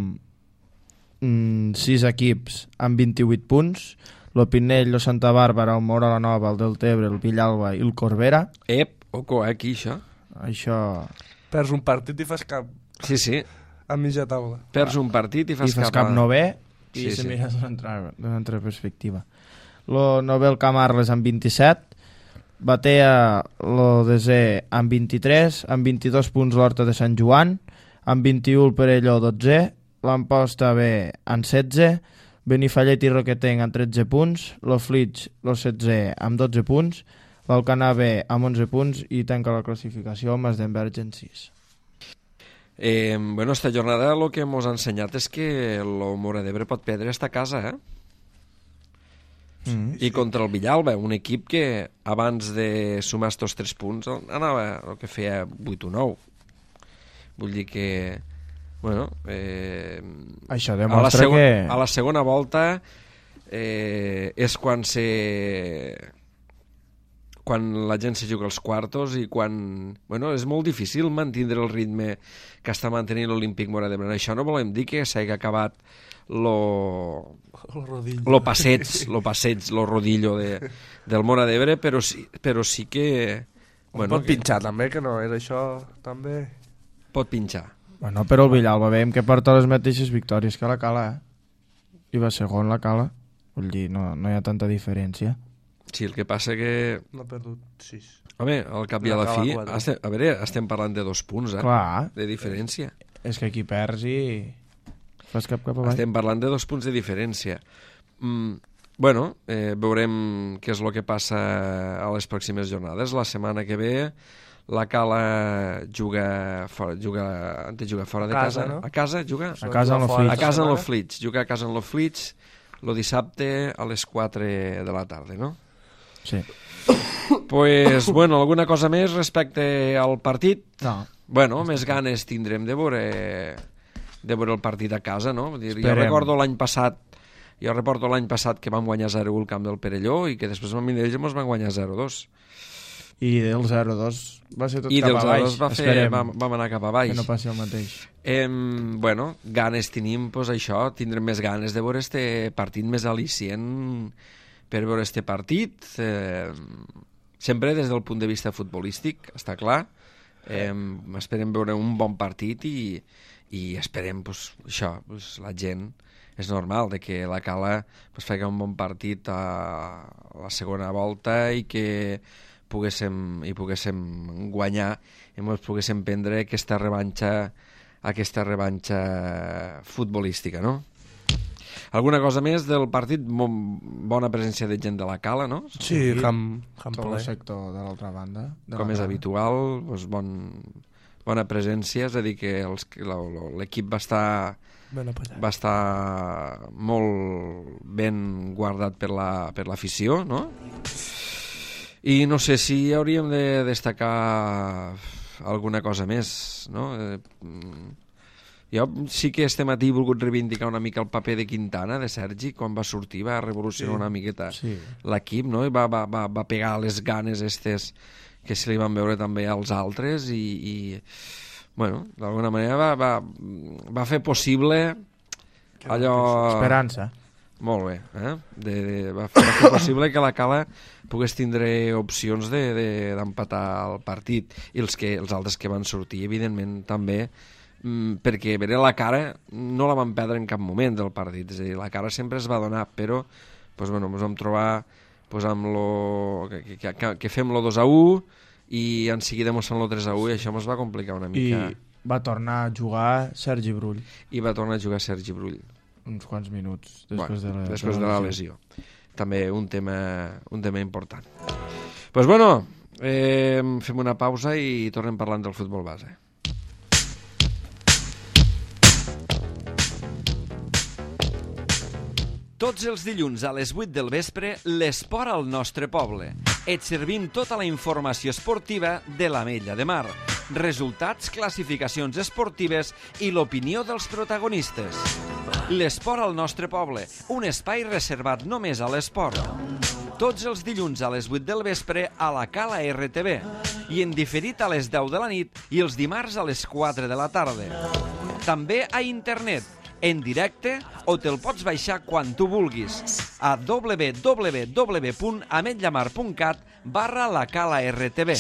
mm, sis equips amb vint-i-vuit punts. El Pinell, el Santa Bàrbara, el Móra la Nova, el Deltebre, el Villalba i el Corbera. Ep, oco, eh, aquí això. Això... Perds un partit i fas cap. Sí, sí. A mitja taula. Perds un partit i fas, I fas cap, cap novè. I sí, se sí. mira d'una altra, d'una altra perspectiva. Lo Nobel Camarles amb vint-i-set, batea lo desè amb vint-i-tres, amb vint-i-dos punts l'Horta de Sant Joan, amb vint-i-u el Perelló dotzè, l'Amposta B amb setze, Benifallet i Roquetenc amb tretze punts, lo Flix lo setzè amb dotze punts, l'Alcanar B amb onze punts i tanca la classificació amb Mas d'Enverge en sis. Eh, bueno, esta jornada el que ens ha ensenyat és que el Móra d'Ebre pot perdre esta casa, eh? Mm, I sí. Contra el Villalba, un equip que abans de sumar estos tres punts anava el que feia vuit o nou. Vull dir que bueno, eh, això a demostra la segon, que a la segona volta eh, és quan se quan la gent se juga als quartos i quan... Bueno, és molt difícil mantindre el ritme que està mantenint l'Olímpic Móra d'Ebre. Això no volem dir que s'hagi acabat lo, lo passeig, lo passeig, lo rodillo de, del Móra d'Ebre, però sí, però sí que... Bueno, pot que... pinxar també, que no és això també... Pot pinxar. Bueno, però el Villalba veiem que porta les mateixes victòries que la Cala, eh? I va segon la Cala. Vull dir, no, no hi ha tanta diferència. Sí, el que passa que... No ha perdut sis. Home, al cap i a la N'acaba fi... quatre. Estem, a veure, estem parlant de dos punts, eh? Clar, De diferència. és que aquí perds i fas cap cap avall. Estem parlant de dos punts de diferència. Mm, bueno, eh, veurem què és el que passa a les pròximes jornades. La setmana que ve la Cala juga fora, juga, han de jugar fora de A casa. casa, no? A casa juga? A casa en Jugar fora l'Oflix. A casa en setmana? l'Oflix. Juga a casa en l'Oflix el dissabte a les quatre de la tarda, no? Sí. Pues, bueno, alguna cosa més respecte al partit? No. Bueno, més ganes tindrem de veure, de veure el partit a casa, no? Vull dir, jo Esperem. recordo l'any passat jo recordo l'any passat que vam guanyar zero u al camp del Perelló i que després amb Minells ens van guanyar zero dos. I del zero dos va ser tot I cap dels a zero baix. dos va fer, Esperem vam, vam anar cap a baix. que no passi el mateix. Eh, bueno, ganes tenim, pues això, tindrem més ganes de veure este partit més al·licient per veure este partit. Eh, sempre des del punt de vista futbolístic, està clar. Eh, esperem veure un bon partit i, i esperem, pues, això, pues, la gent... És normal de que la Cala pues, faci un bon partit a la segona volta i que poguéssim, i poguéssim guanyar i ens poguéssim prendre aquesta revanxa aquesta revanxa futbolística, no? Alguna cosa més del partit? Bona presència de gent de la Cala, no? Sí, camp, camp Tot ple. el sector de l'altra banda. De Com la és Cala. habitual, doncs bon, bona presència, és a dir, que els- l'equip va estar Ben apallat. va estar molt ben guardat per la, per l'afició, no? I no sé si hauríem de destacar alguna cosa més, no? Eh, mm, jo sí que este matí he volgut reivindicar una mica el paper de Quintana, de Sergi, quan va sortir, va revolucionar Sí. una miqueta Sí. l'equip, no? I va, va, va, va pegar les ganes estes que se li van veure també als altres i, i bueno, d'alguna manera va, va, va fer possible allò... Esperança. Molt bé, eh? De, de, va, fer, va fer possible que la Cala pogués tindre opcions de- de- d'empatar de, el partit i els, que, els altres que van sortir, evidentment, també, mm, perquè a veure, la cara no la van perdre en cap moment del partit, és a dir, la cara sempre es va donar, però pues, bueno, ens vam trobar pues, amb lo, que, que, que, que fem lo dos a u i en seguida mos fan lo tres a u i això ens va complicar una I mica. va tornar a jugar Sergi Brull I va tornar a jugar Sergi Brull. uns quants minuts Bueno, després de la, després de la lesió. També un tema, un tema important. Doncs pues bueno, eh, fem una pausa i tornem parlant del futbol base. Tots els dilluns a les vuit del vespre, l'esport al nostre poble. Et servim tota la informació esportiva de l'Ametlla de Mar, resultats, classificacions esportives i l'opinió dels protagonistes. L'esport al nostre poble, un espai reservat només a l'esport. Tots els dilluns a les vuit del vespre a la Cala R T V i en diferit a les deu de la nit i els dimarts a les quatre de la tarda. També a internet, en directe o te'l pots baixar quan tu vulguis a w w w punt ametllamar punt cat barra la Cala R T V.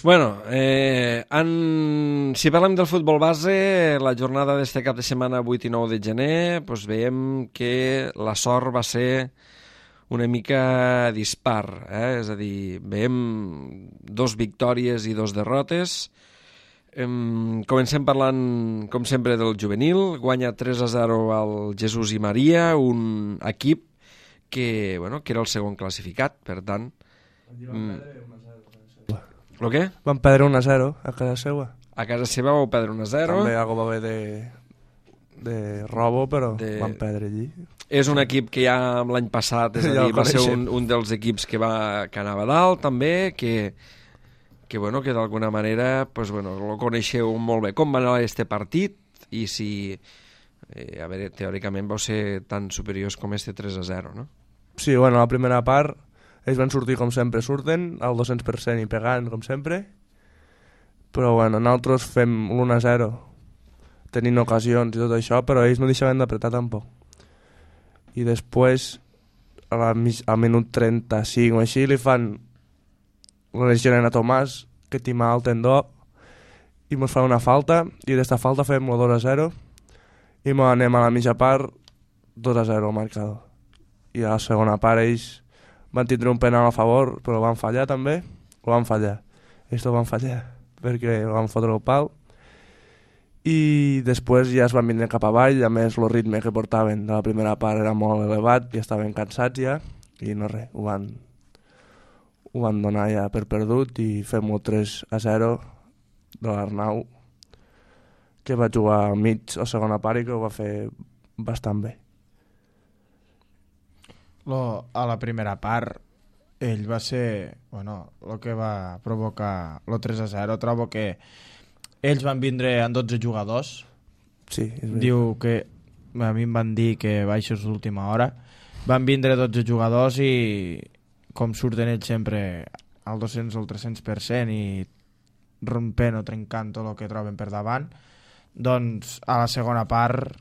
Bueno, eh, en... si parlem del futbol base, la jornada d'este cap de setmana vuit i nou de gener, doncs veiem que la sort va ser una mica dispar, eh? És a dir, veiem dos victòries i dos derrotes. Em, comencem parlant, com sempre, del juvenil. Guanya tres a zero al Jesús i Maria, un equip que, bueno, que era el segon classificat, per tant... Mm, el què? Van perdre un a zero a casa seva. A casa seva vau perdre un a zero. També algo va haver de, de robo, però De- de... van perdre allí. És un equip que ja l'any passat, és a Ja dir, el va ser coneixem. un, un dels equips que, va, que anava dalt, també, que, que, bueno, que d'alguna manera pues, bueno, el coneixeu molt bé. Com va anar este partit i si, eh, a veure, teòricament vau ser tan superiors com este tres a zero, no? Sí, bueno, la primera part ells van sortir com sempre surten, al dos-cents per cent i pegant com sempre, però bueno, nosaltres fem l'un a zero tenint ocasions i tot això, però ells no deixaven d'apretar tampoc. I després a la, mig- al minut trenta-cinc o així li fan la lesionen a Tomàs, que tima el tendó, i mos fa una falta, i d'esta falta fem el dos a zero, i mos anem a la mitja part dos a zero al marcador. I a la segona part ells van tindre un penal a favor, però van fallar també, o van fallar. Ells ho van fallar, perquè van fotre el pal, i després ja es van vindre cap avall, a més el ritme que portaven de la primera part era molt elevat i estaven cansats ja, i no res, ho van, ho van donar ja per perdut i fem el tres a zero de l'Arnau, que va jugar al mig a segona part i que ho va fer bastant bé. Lo, a la primera part ell va ser, bueno, el que va provocar el tres a zero. Trobo que ells van vindre amb dotze jugadors. Sí, és veritat. Diu que a mi em van dir que baixos l'última hora. Van vindre dotze jugadors i com surten ells sempre al dos-cents o al tres-cents per cent i rompent o trencant tot el que troben per davant, doncs a la segona part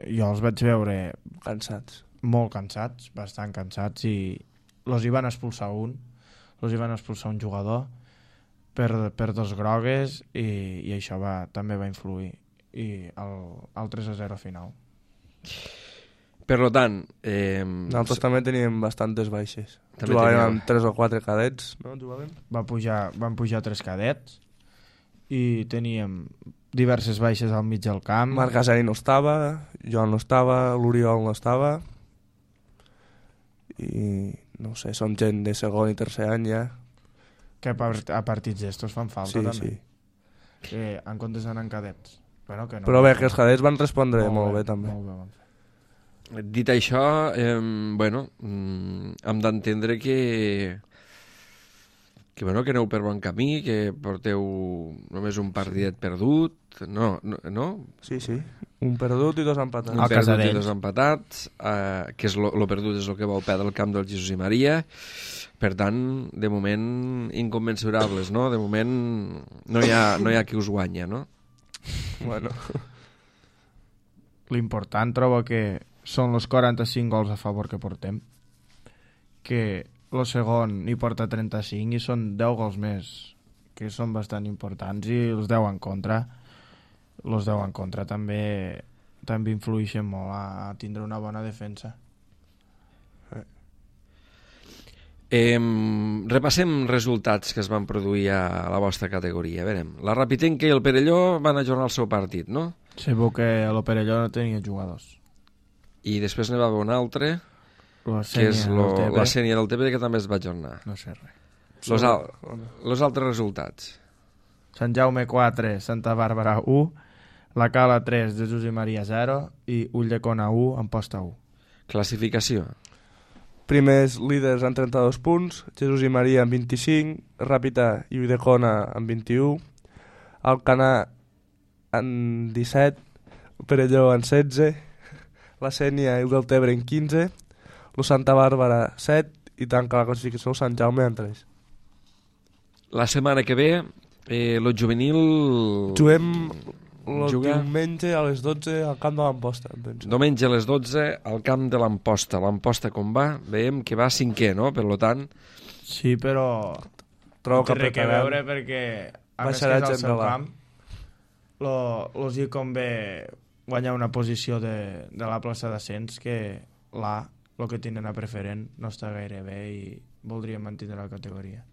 jo els vaig veure Cansats. molt cansats, bastant cansats, i los hi van expulsar un, los hi van expulsar un jugador per, per dos grogues i, i això va, també va influir i el, el tres a zero final. Per tant... Eh, Nosaltres també teníem bastantes baixes. També Jugaven teníeu. amb tres o quatre cadets, no? Jugaven? Va pujar, van pujar tres cadets i teníem diverses baixes al mig del camp. Marc Casari no estava, Joan no estava, l'Oriol no estava, i no sé, som gent de segon i tercer any ja. que a partits d'estos fan falta Sí, també. sí. Que en comptes d'anar en cadets. Bueno, que no, Però bé, que els cadets van respondre molt, molt bé, bé també. Molt bé van fer. Dit això, eh, bueno, mm, hem d'entendre que, que, bueno, que aneu per bon camí, que porteu només un partidet perdut, no? no, no? Sí, sí. Un perdut i dos empatats. Un A perdut casa i d'ells. dos empatats, eh, que és lo, lo perdut és el que vol perdre el camp del Jesús i Maria. Per tant, de moment, incommensurables, no? De moment no hi ha, no hi ha qui us guanya, no? Bueno, L'important trobo que són els quaranta-cinc gols a favor que portem, que el segon hi porta trenta-cinc i són deu gols més, que són bastant importants, i els deu en contra. Els deu en contra també també influeixen molt a, a tindre una bona defensa. Eh, repassem resultats que es van produir a la vostra categoria. A veure, la Rapitenca i el Perelló van ajornar el seu partit, no? Sabeu que l'Operelló no tenia jugadors. I després n'hi va haver un altre, La que és Sénia, lo, el T B, la Sènia del T B, que també es va ajornar. no sé res. Los, al, los altres resultats. Sant Jaume quatre, Santa Bàrbara u, La Cala tres, Jesús i Maria zero i Ulldecona u, Amposta u. Classificació. primers líders amb trenta-dos punts, Jesús i Maria amb vint-i-cinc, Ràpita i Ulldecona amb vint-i-u, Alcanar amb disset, Perelló amb setze, la Sénia i el Deltebre amb quinze, el Santa Bàrbara set i tanca la classificació el Sant Jaume amb tres. La setmana que ve, eh, lo juvenil... Juguem el Juga- diumenge a les dotze al camp de l'Amposta, em penso. Diumenge a les dotze al camp de l'Amposta. L'Amposta com va? Veiem que va cinquè, no? Per lo tant, Sí, però Trobo no té res que apretaran. veure perquè a més que Baixarà és al gent seu de la- camp lo, los hi convé guanyar una posició de, de la plaça d'ascens, que l'A, el que tenen a preferent, no està gaire bé i voldrien mantenir la categoria.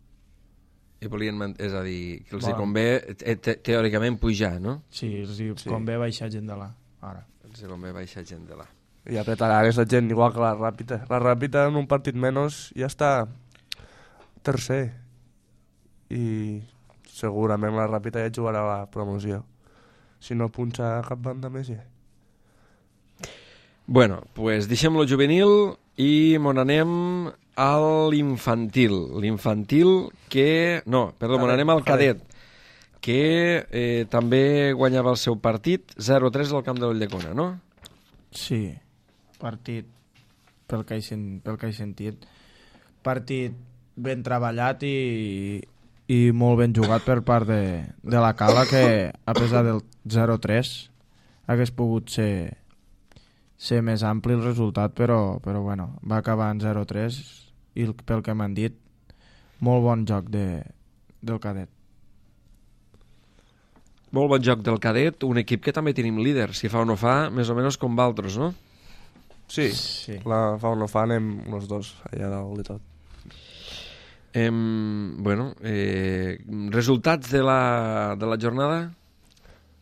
i volien, man- és a dir, que els hi Volen. convé te te teòricament pujar, no? Sí, els hi Sí. convé baixar gent de l'A ara. Els hi convé baixar gent de la... I apretarà aquesta gent igual que la Ràpita. La Ràpita en un partit menys ja està tercer. I segurament la Ràpita ja jugarà la promoció. Si no punxa cap banda més ja. Bueno, pues deixem lo juvenil i mon anem a l'infantil. L'infantil que... No, perdó, mon Cadet, anem al cadet, que eh, també guanyava el seu partit zero a tres al camp de l'Ulldecona, no? Sí, partit, pel que he, sen- pel que he sentit, partit ben treballat i, i molt ben jugat per part de, de la Cala, que a pesar del zero a tres hagués pogut ser, ser més ampli el resultat, però, però bueno, va acabar en zero a tres i el- pel que m'han dit, molt bon joc de, del cadet. Molt bon joc del cadet, un equip que també tenim líder, si fa o no fa, més o menys com valtros, no? Sí, Sí. la fa o no fa anem els dos allà dalt i tot. Eh, bueno, eh, resultats de la, de la jornada?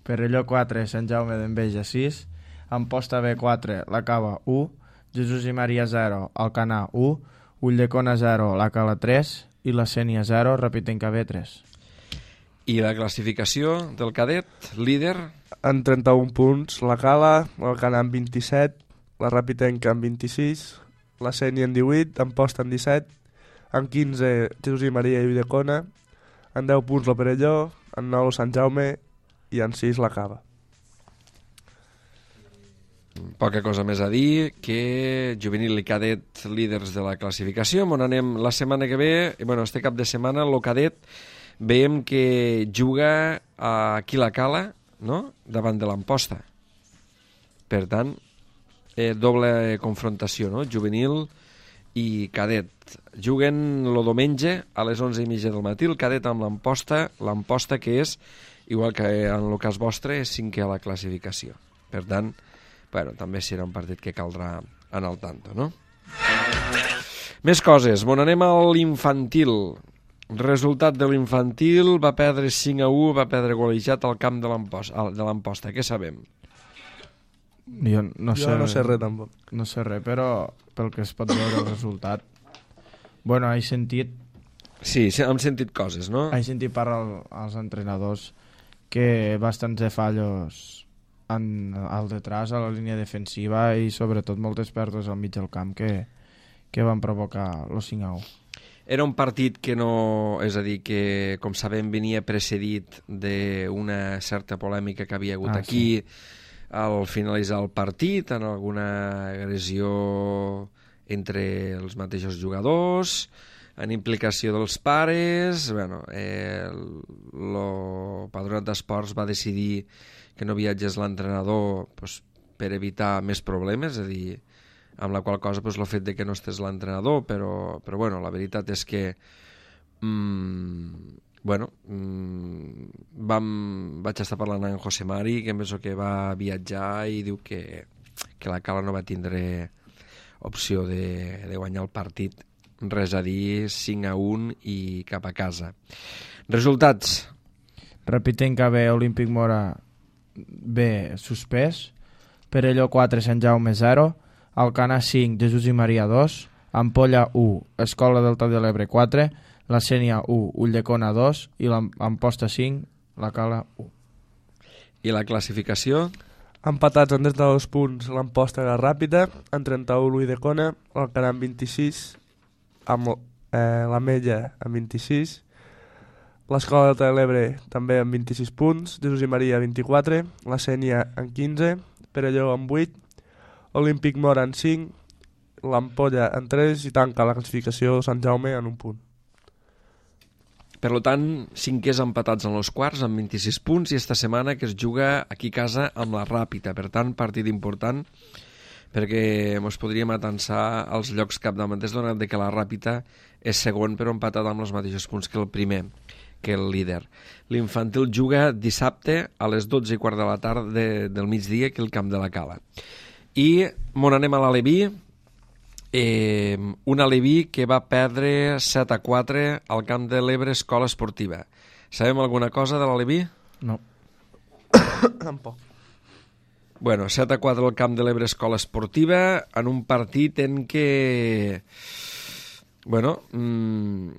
Perelló quatre, Sant Jaume d'Enveja sis, Amposta B quatre, La Cava u, Jesús i Maria zero, Alcanar u, Ulldecona zero, La Cala tres i la Sénia zero, Repitenca B tres. I la classificació del cadet, líder? En trenta-un punts, la Cala, l'Alcanar en vint-i-set, la Rapitenca en vint-i-sis, la Sénia en divuit, Amposta en disset, en quinze Jesús i Maria i Ulldecona, en deu punts la Perelló, en nou Sant Jaume i en sis la Cava. Poca cosa més a dir que juvenil i cadet líders de la classificació. On anem la setmana que ve, i bueno, este cap de setmana, el cadet veiem que juga aquí la Cala, no?, davant de l'Amposta. Per tant, eh, doble confrontació, no?, juvenil i cadet. Juguen el diumenge a les onze i mitja del matí, el cadet amb l'Amposta, l'Amposta que és, igual que en el cas vostre, és cinquè a la classificació. Per tant, bueno, també serà un partit que caldrà anar al tanto, no? Més coses. Bon, anem a l'infantil. Resultat de l'infantil, va perdre cinc a u, va perdre golejat al camp de l'Amposta. Què sabem? Jo no sé, Jo no sé res tampoc. no sé res, però pel que es pot veure el resultat, bueno, he sentit Sí, sí, hem sentit coses, no? he sentit parlar als entrenadors que bastants de fallos en, al detrás, a la línia defensiva i sobretot moltes pèrdues al mig del camp que, que van provocar los cinc a u. Era un partit que no... És a dir, que, com sabem, venia precedit d'una certa polèmica que havia hagut Ah, aquí al finalitzar el partit, en alguna agressió entre els mateixos jugadors, en implicació dels pares. Bueno, eh, el Patronat d'Esports va decidir que no viatgés l'entrenador pues, per evitar més problemes, és a dir, amb la qual cosa pues, el fet de que no estés l'entrenador, però, però bueno, la veritat és que mmm, bueno, mmm, vam, vaig estar parlant amb José Mari, que em penso que va viatjar i diu que, que la Cala no va tindre opció de, de guanyar el partit, res a dir, cinc a un i cap a casa. Resultats. Repitenca B, Olímpic Mora B, suspès, Perelló quatre, Sant Jaume zero, Alcanar cinc, Jesús i Maria dos, Ampolla u, Escola Delta de l'Ebre quatre, la Sénia u, Ulldecona dos i l'Amposta cinc, la Cala u. I la classificació? Empatats en trenta-dos punts l'Amposta i la Ràpita, en trenta-u l'Ulldecona, l'Alcanar en vint-i-sis, amb eh, la Mella en vint-i-sis, l'Escola Delta de l'Ebre també amb vint-i-sis punts, Jesús i Maria vint-i-quatre, la Sénia en quinze, Perelló en vuit, Olímpic Mora en cinc, l'Ampolla en tres i tanca la classificació Sant Jaume en un punt. Per tant, cinquers empatats en els quarts amb vint-i-sis punts i esta setmana que es juga aquí a casa amb la Ràpita. Per tant, partit important perquè ens podríem atansar als llocs capdavanters donat que la Ràpita és segon però empatat amb els mateixos punts que el primer, que el líder. L'infantil juga dissabte a les dotze i quart de la tarda de, del migdia que el camp de la Cala. I on anem a l'Aleví, eh, un Aleví que va perdre set a quatre al camp de l'Ebre Escola Esportiva. Sabem alguna cosa de l'Aleví? No. Tampoc. Bueno, set a quatre al camp de l'Ebre Escola Esportiva en un partit en què, bueno, mmm,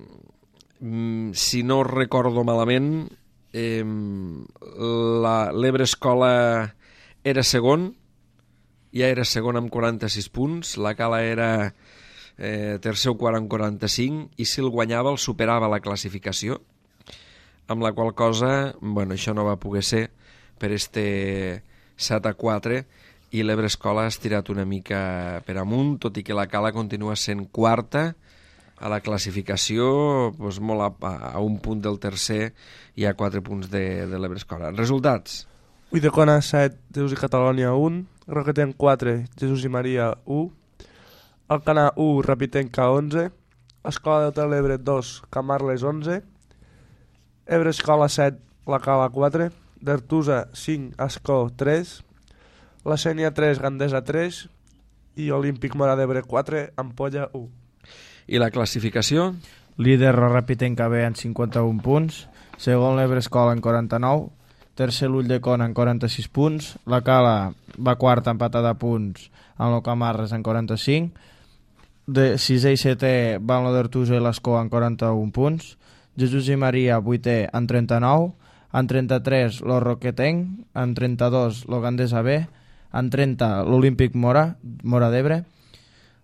si no recordo malament, eh, l'Ebre Escola era segon, ja era segon amb quaranta-sis punts, la Cala era eh, tercer o quart amb quaranta-cinc, i si el guanyava el superava la classificació, amb la qual cosa, bueno, això no va poder ser per este set a quatre, i l'Ebre Escola ha estirat una mica per amunt, tot i que la Cala continua sent quarta a la classificació, doncs molt a, a un punt del tercer i a quatre punts de, de l'Ebre Escola. Resultats? Ulldecona set, Jesús i Catalònia un, Roquetenc quatre, Jesús i Maria u, Alcanar u, Rapitenca onze, Escola Delta de l'Ebre dos, Camarles onze, Ebre Escola set, la Cala quatre, d'Artusa cinc, Ascó tres, la Sénia tres, Gandesa tres i Olímpic Móra d'Ebre quatre, Ampolla u. I la classificació? Líder la Rapitenca B en cinquanta-un punts, segon l'Ebre Escola en quaranta-nou, tercer l'Ulldecona en quaranta-sis punts, la Cala va quarta empatada a punts amb el Camarres en quaranta-cinc, de sisè i setè van la d'Artusa i l'Escó en quaranta-un punts, Jesús i Maria vuitè en trenta-nou, en trenta-tres lo Roquetenc, en trenta-dos lo Gandesa B, en trenta l'Olímpic Mora, Mora d'Ebre,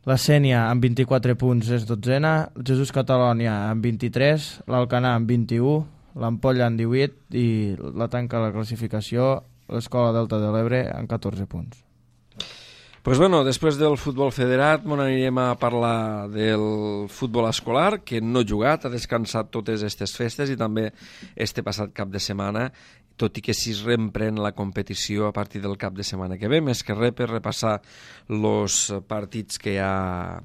la Sénia amb vint-i-quatre punts és dotzena, Jesús Catalònia amb vint-i-tres, l'Alcanar amb vint-i-u, l'Ampolla amb divuit i la tanca la classificació l'Escola Delta de l'Ebre amb catorze punts. Pues bueno, després del futbol federat m'on anirem a parlar del futbol escolar, que no ha jugat, ha descansat totes aquestes festes i també este passat cap de setmana, tot i que si es reemprèn la competició a partir del cap de setmana que ve, més que res per repassar els partits que hi ha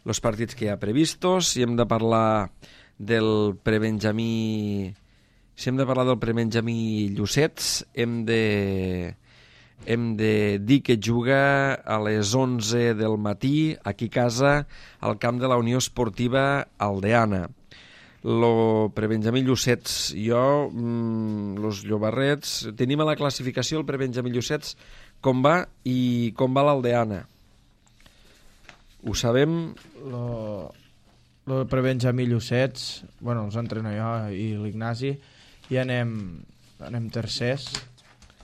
los partits que hi ha previstos. Si hem de parlar del prebenjamí si hem de parlar del prebenjamí Llucets, hem de hem de dir que juga a les onze del matí aquí a casa al camp de la Unió Esportiva Aldeana. Lo prebenjamí Llucets, jo, mmm, los llobarrets, tenim a la classificació el prebenjamí Llucets com va i com va l'Aldeana. Ho sabem? Lo, lo prebenjamí Llucets, bueno, els entreno jo i l'Ignasi, i anem, anem tercers,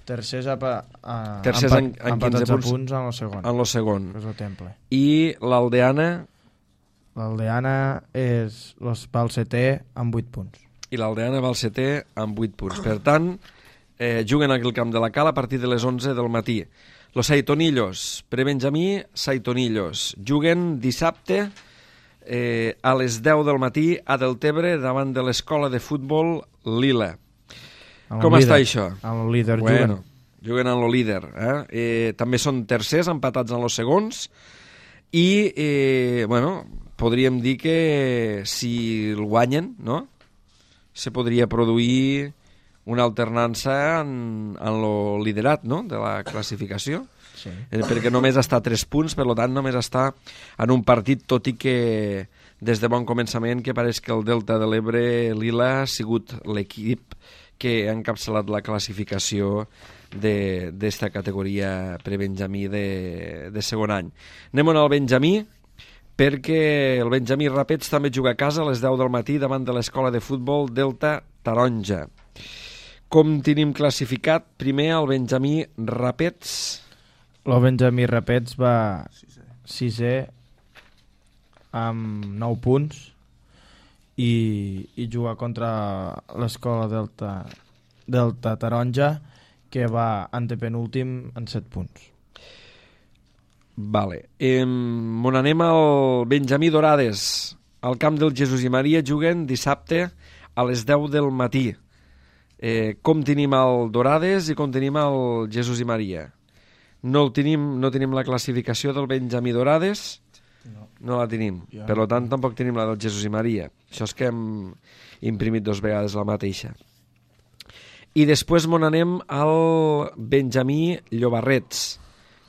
tercers a, a, tercers en, en quinze punts, punts en el segon. En el segon. És el temple. I l'Aldeana? L'Aldeana és los, va al setè amb vuit punts. I l'Aldeana va al setè amb vuit punts. Per tant, eh, juguen aquí al camp de la Cala a partir de les onze del matí. Los Saitonillos, prebenjamí Saitonillos, juguen dissabte eh, a les deu del matí a Deltebre davant de l'escola de futbol Lila. Com líder, està això? Amb el líder bueno, juguen. Juguen amb el líder. Eh? Eh, també són tercers, empatats en els segons, i, eh, bueno, podríem dir que si el guanyen, no?, se podria produir una alternança en, en lo liderat, no?, de la classificació. Sí. Eh, perquè només està a tres punts, per tant només està en un partit, tot i que des de bon començament que pareix que el Delta de l'Ebre Lila ha sigut l'equip que ha encapçalat la classificació d'esta categoria prebenjamí de, de segon any. Anem al Benjamí, perquè el Benjamí Rapets també juga a casa a les deu del matí davant de l'escola de futbol Delta Taronja. Com tenim classificat? Primer el Benjamí Rapets. El Benjamí Rapets va sisè amb nou punts i, i juga contra l'escola Delta, Delta Taronja, que va antepenúltim en set punts. Vale. Eh, on anem al Benjamí Dorades. Al camp del Jesús i Maria juguen dissabte a les deu del matí. Eh, com tenim el Dorades i com tenim el Jesús i Maria? No, el tenim, no tenim la classificació del Benjamí Dorades, no, no la tenim. Ja. Per tant, tampoc tenim la del Jesús i Maria. Això és que hem imprimit dos vegades la mateixa. I després m'on anem al Benjamí Llobarrets,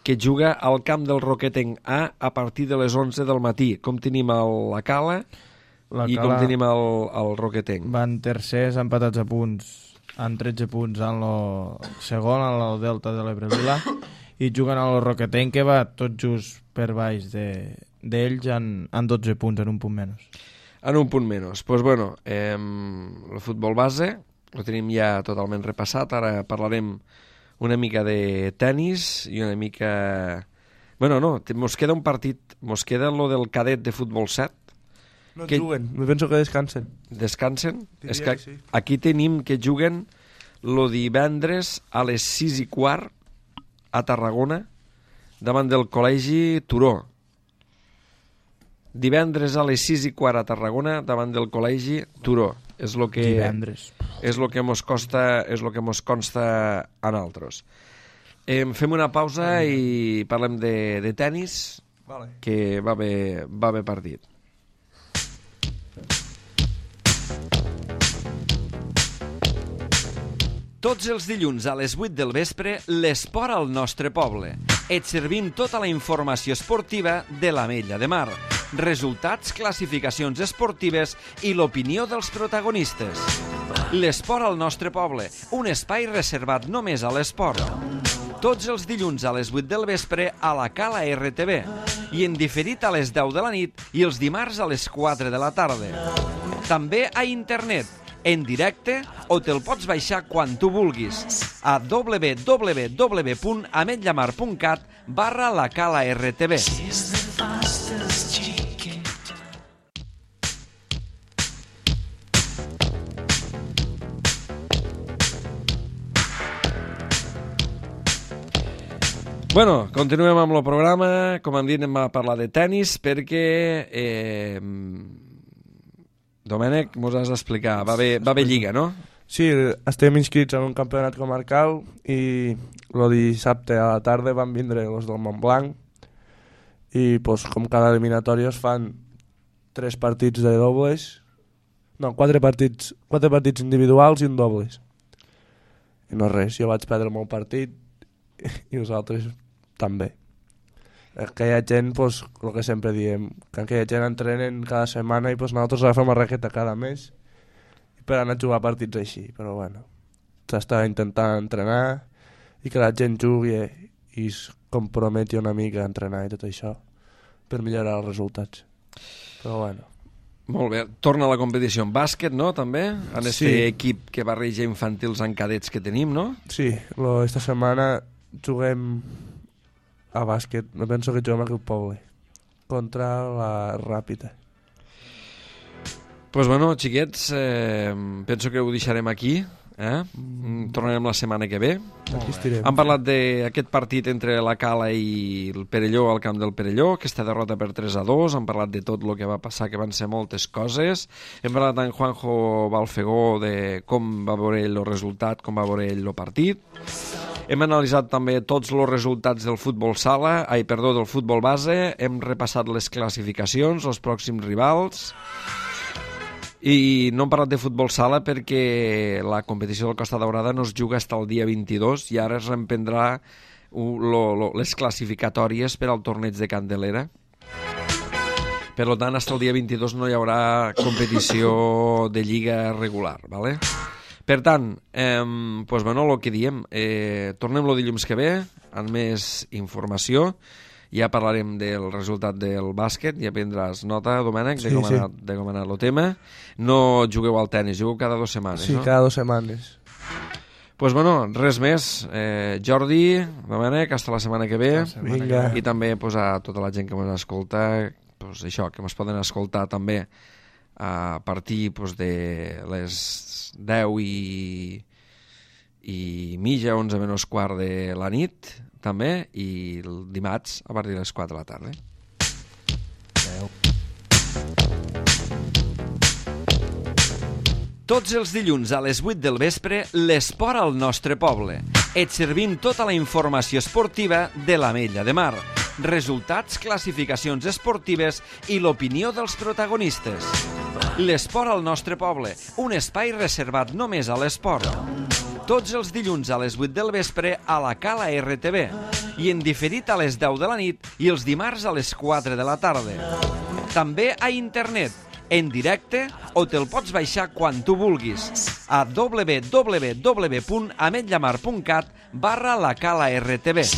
que juga al camp del Roquetenc A a partir de les onze del matí. Com tenim el, la Cala la i Cala com tenim el, el Roquetenc? Van tercers empatats a punts, en tretze punts en el segon, en el Delta de l'Ebre Lila, i juguen al Roquetenc, que va tot just per baix d'ells de, en, en dotze punts, en un punt menys. En un punt menys. Pues bueno, eh, el futbol base ho tenim ja totalment repassat. Ara parlarem una mica de tennis i una mica... Bueno, no, mos queda un partit, mos queda lo del cadet de futbol set. No que... juguen, me penso que descansen. Descansen? Diria És que, que sí. Aquí tenim que juguen lo divendres a les sis i quart a Tarragona davant del col·legi Turó. Divendres a les sis i quart a Tarragona davant del col·legi Turó. És lo que... Divendres. És el que mos costa, és el que mos consta a nosaltres. Eh, fem una pausa i parlem de, de tennis, Vale. que va bé, va bé partit. Tots els dilluns a les vuit del vespre, l'esport al nostre poble. Et servim tota la informació esportiva de l'Ametlla de Mar. Resultats, classificacions esportives i l'opinió dels protagonistes. L'esport al nostre poble, un espai reservat només a l'esport. Tots els dilluns a les vuit del vespre a la Cala R T V i en diferit a les deu de la nit i els dimarts a les quatre de la tarda. També a internet, en directe, o te'l pots baixar quan tu vulguis a w w w punt ametllamar punt cat barra la Cala R T V. Bueno, continuem amb el programa. Com han dit, anem a parlar de tennis perquè... Eh, Domènec, mos has d'explicar. Va haver, va haver lliga, no? Sí, estem inscrits en un campionat comarcal i el dissabte a la tarda van vindre els del Montblanc i pues, com cada eliminatòria es fan tres partits de dobles, no, quatre partits, quatre partits individuals i un dobles. I no res, jo vaig perdre el meu partit i els altres també. Aquella gent, pues, el que sempre diem, que aquella gent entrenen cada setmana i pues, nosaltres agafem la raqueta cada mes per anar a jugar partits així, però bueno, s'està intentant entrenar i que la gent jugui i es comprometi una mica a entrenar i tot això per millorar els resultats. Però bueno. Molt bé, torna a la competició en bàsquet, no, també? En aquest Sí. equip que barreja infantils en cadets que tenim, no? Sí, lo, esta setmana juguem a bàsquet, no penso que juguem aquí al poble, contra la Ràpida. Pues bueno, xiquets, eh, penso que ho deixarem aquí, eh? Tornarem la setmana que ve. Aquí estirem. Hem parlat d'aquest partit entre la Cala i el Perelló al camp del Perelló, aquesta derrota per tres a dos, hem parlat de tot el que va passar, que van ser moltes coses, hem parlat amb Juanjo Balfegó de com va veure ell el resultat, com va veure ell el partit. Hem analitzat també tots els resultats del futbol sala, ai, perdó, del futbol base, hem repassat les classificacions, els pròxims rivals, i no hem parlat de futbol sala perquè la competició del Costa Daurada no es juga fins al dia vint-i-dos i ara es reemprendrà les classificatòries per al torneig de Candelera. Per tant, fins al dia vint-i-dos no hi haurà competició de lliga regular, ¿vale? Per tant, eh, pues bueno, el que diem, eh, tornem el dilluns que ve amb més informació, ja parlarem del resultat del bàsquet, ja prendràs nota, Domènec, de, Sí, com sí. ha anat, de com ha anat el tema. No jugueu al tenis, jugueu cada dues setmanes, Sí, no? cada dues setmanes. Pues bueno, res més. Eh, Jordi, Domènec, hasta la setmana que ve. Vinga. I també pues, a tota la gent que ens escolta, pues, això, que ens poden escoltar també a partir pues, de les deu i, i mitja, onze menys quart de la nit, també, i el dimarts a partir de les quatre de la tarda. Adeu. Tots els dilluns a les vuit del vespre, l'esport al nostre poble. Et servim tota la informació esportiva de l'Ametlla de Mar. Resultats, classificacions esportives i l'opinió dels protagonistes. L'esport al nostre poble, un espai reservat només a l'esport. Tots els dilluns a les vuit del vespre a la Cala R T V i en diferit a les deu de la nit i els dimarts a les quatre de la tarda. També a internet, en directe, o te'l pots baixar quan tu vulguis a w w w punt ametllamar punt cat barra la Cala R T V.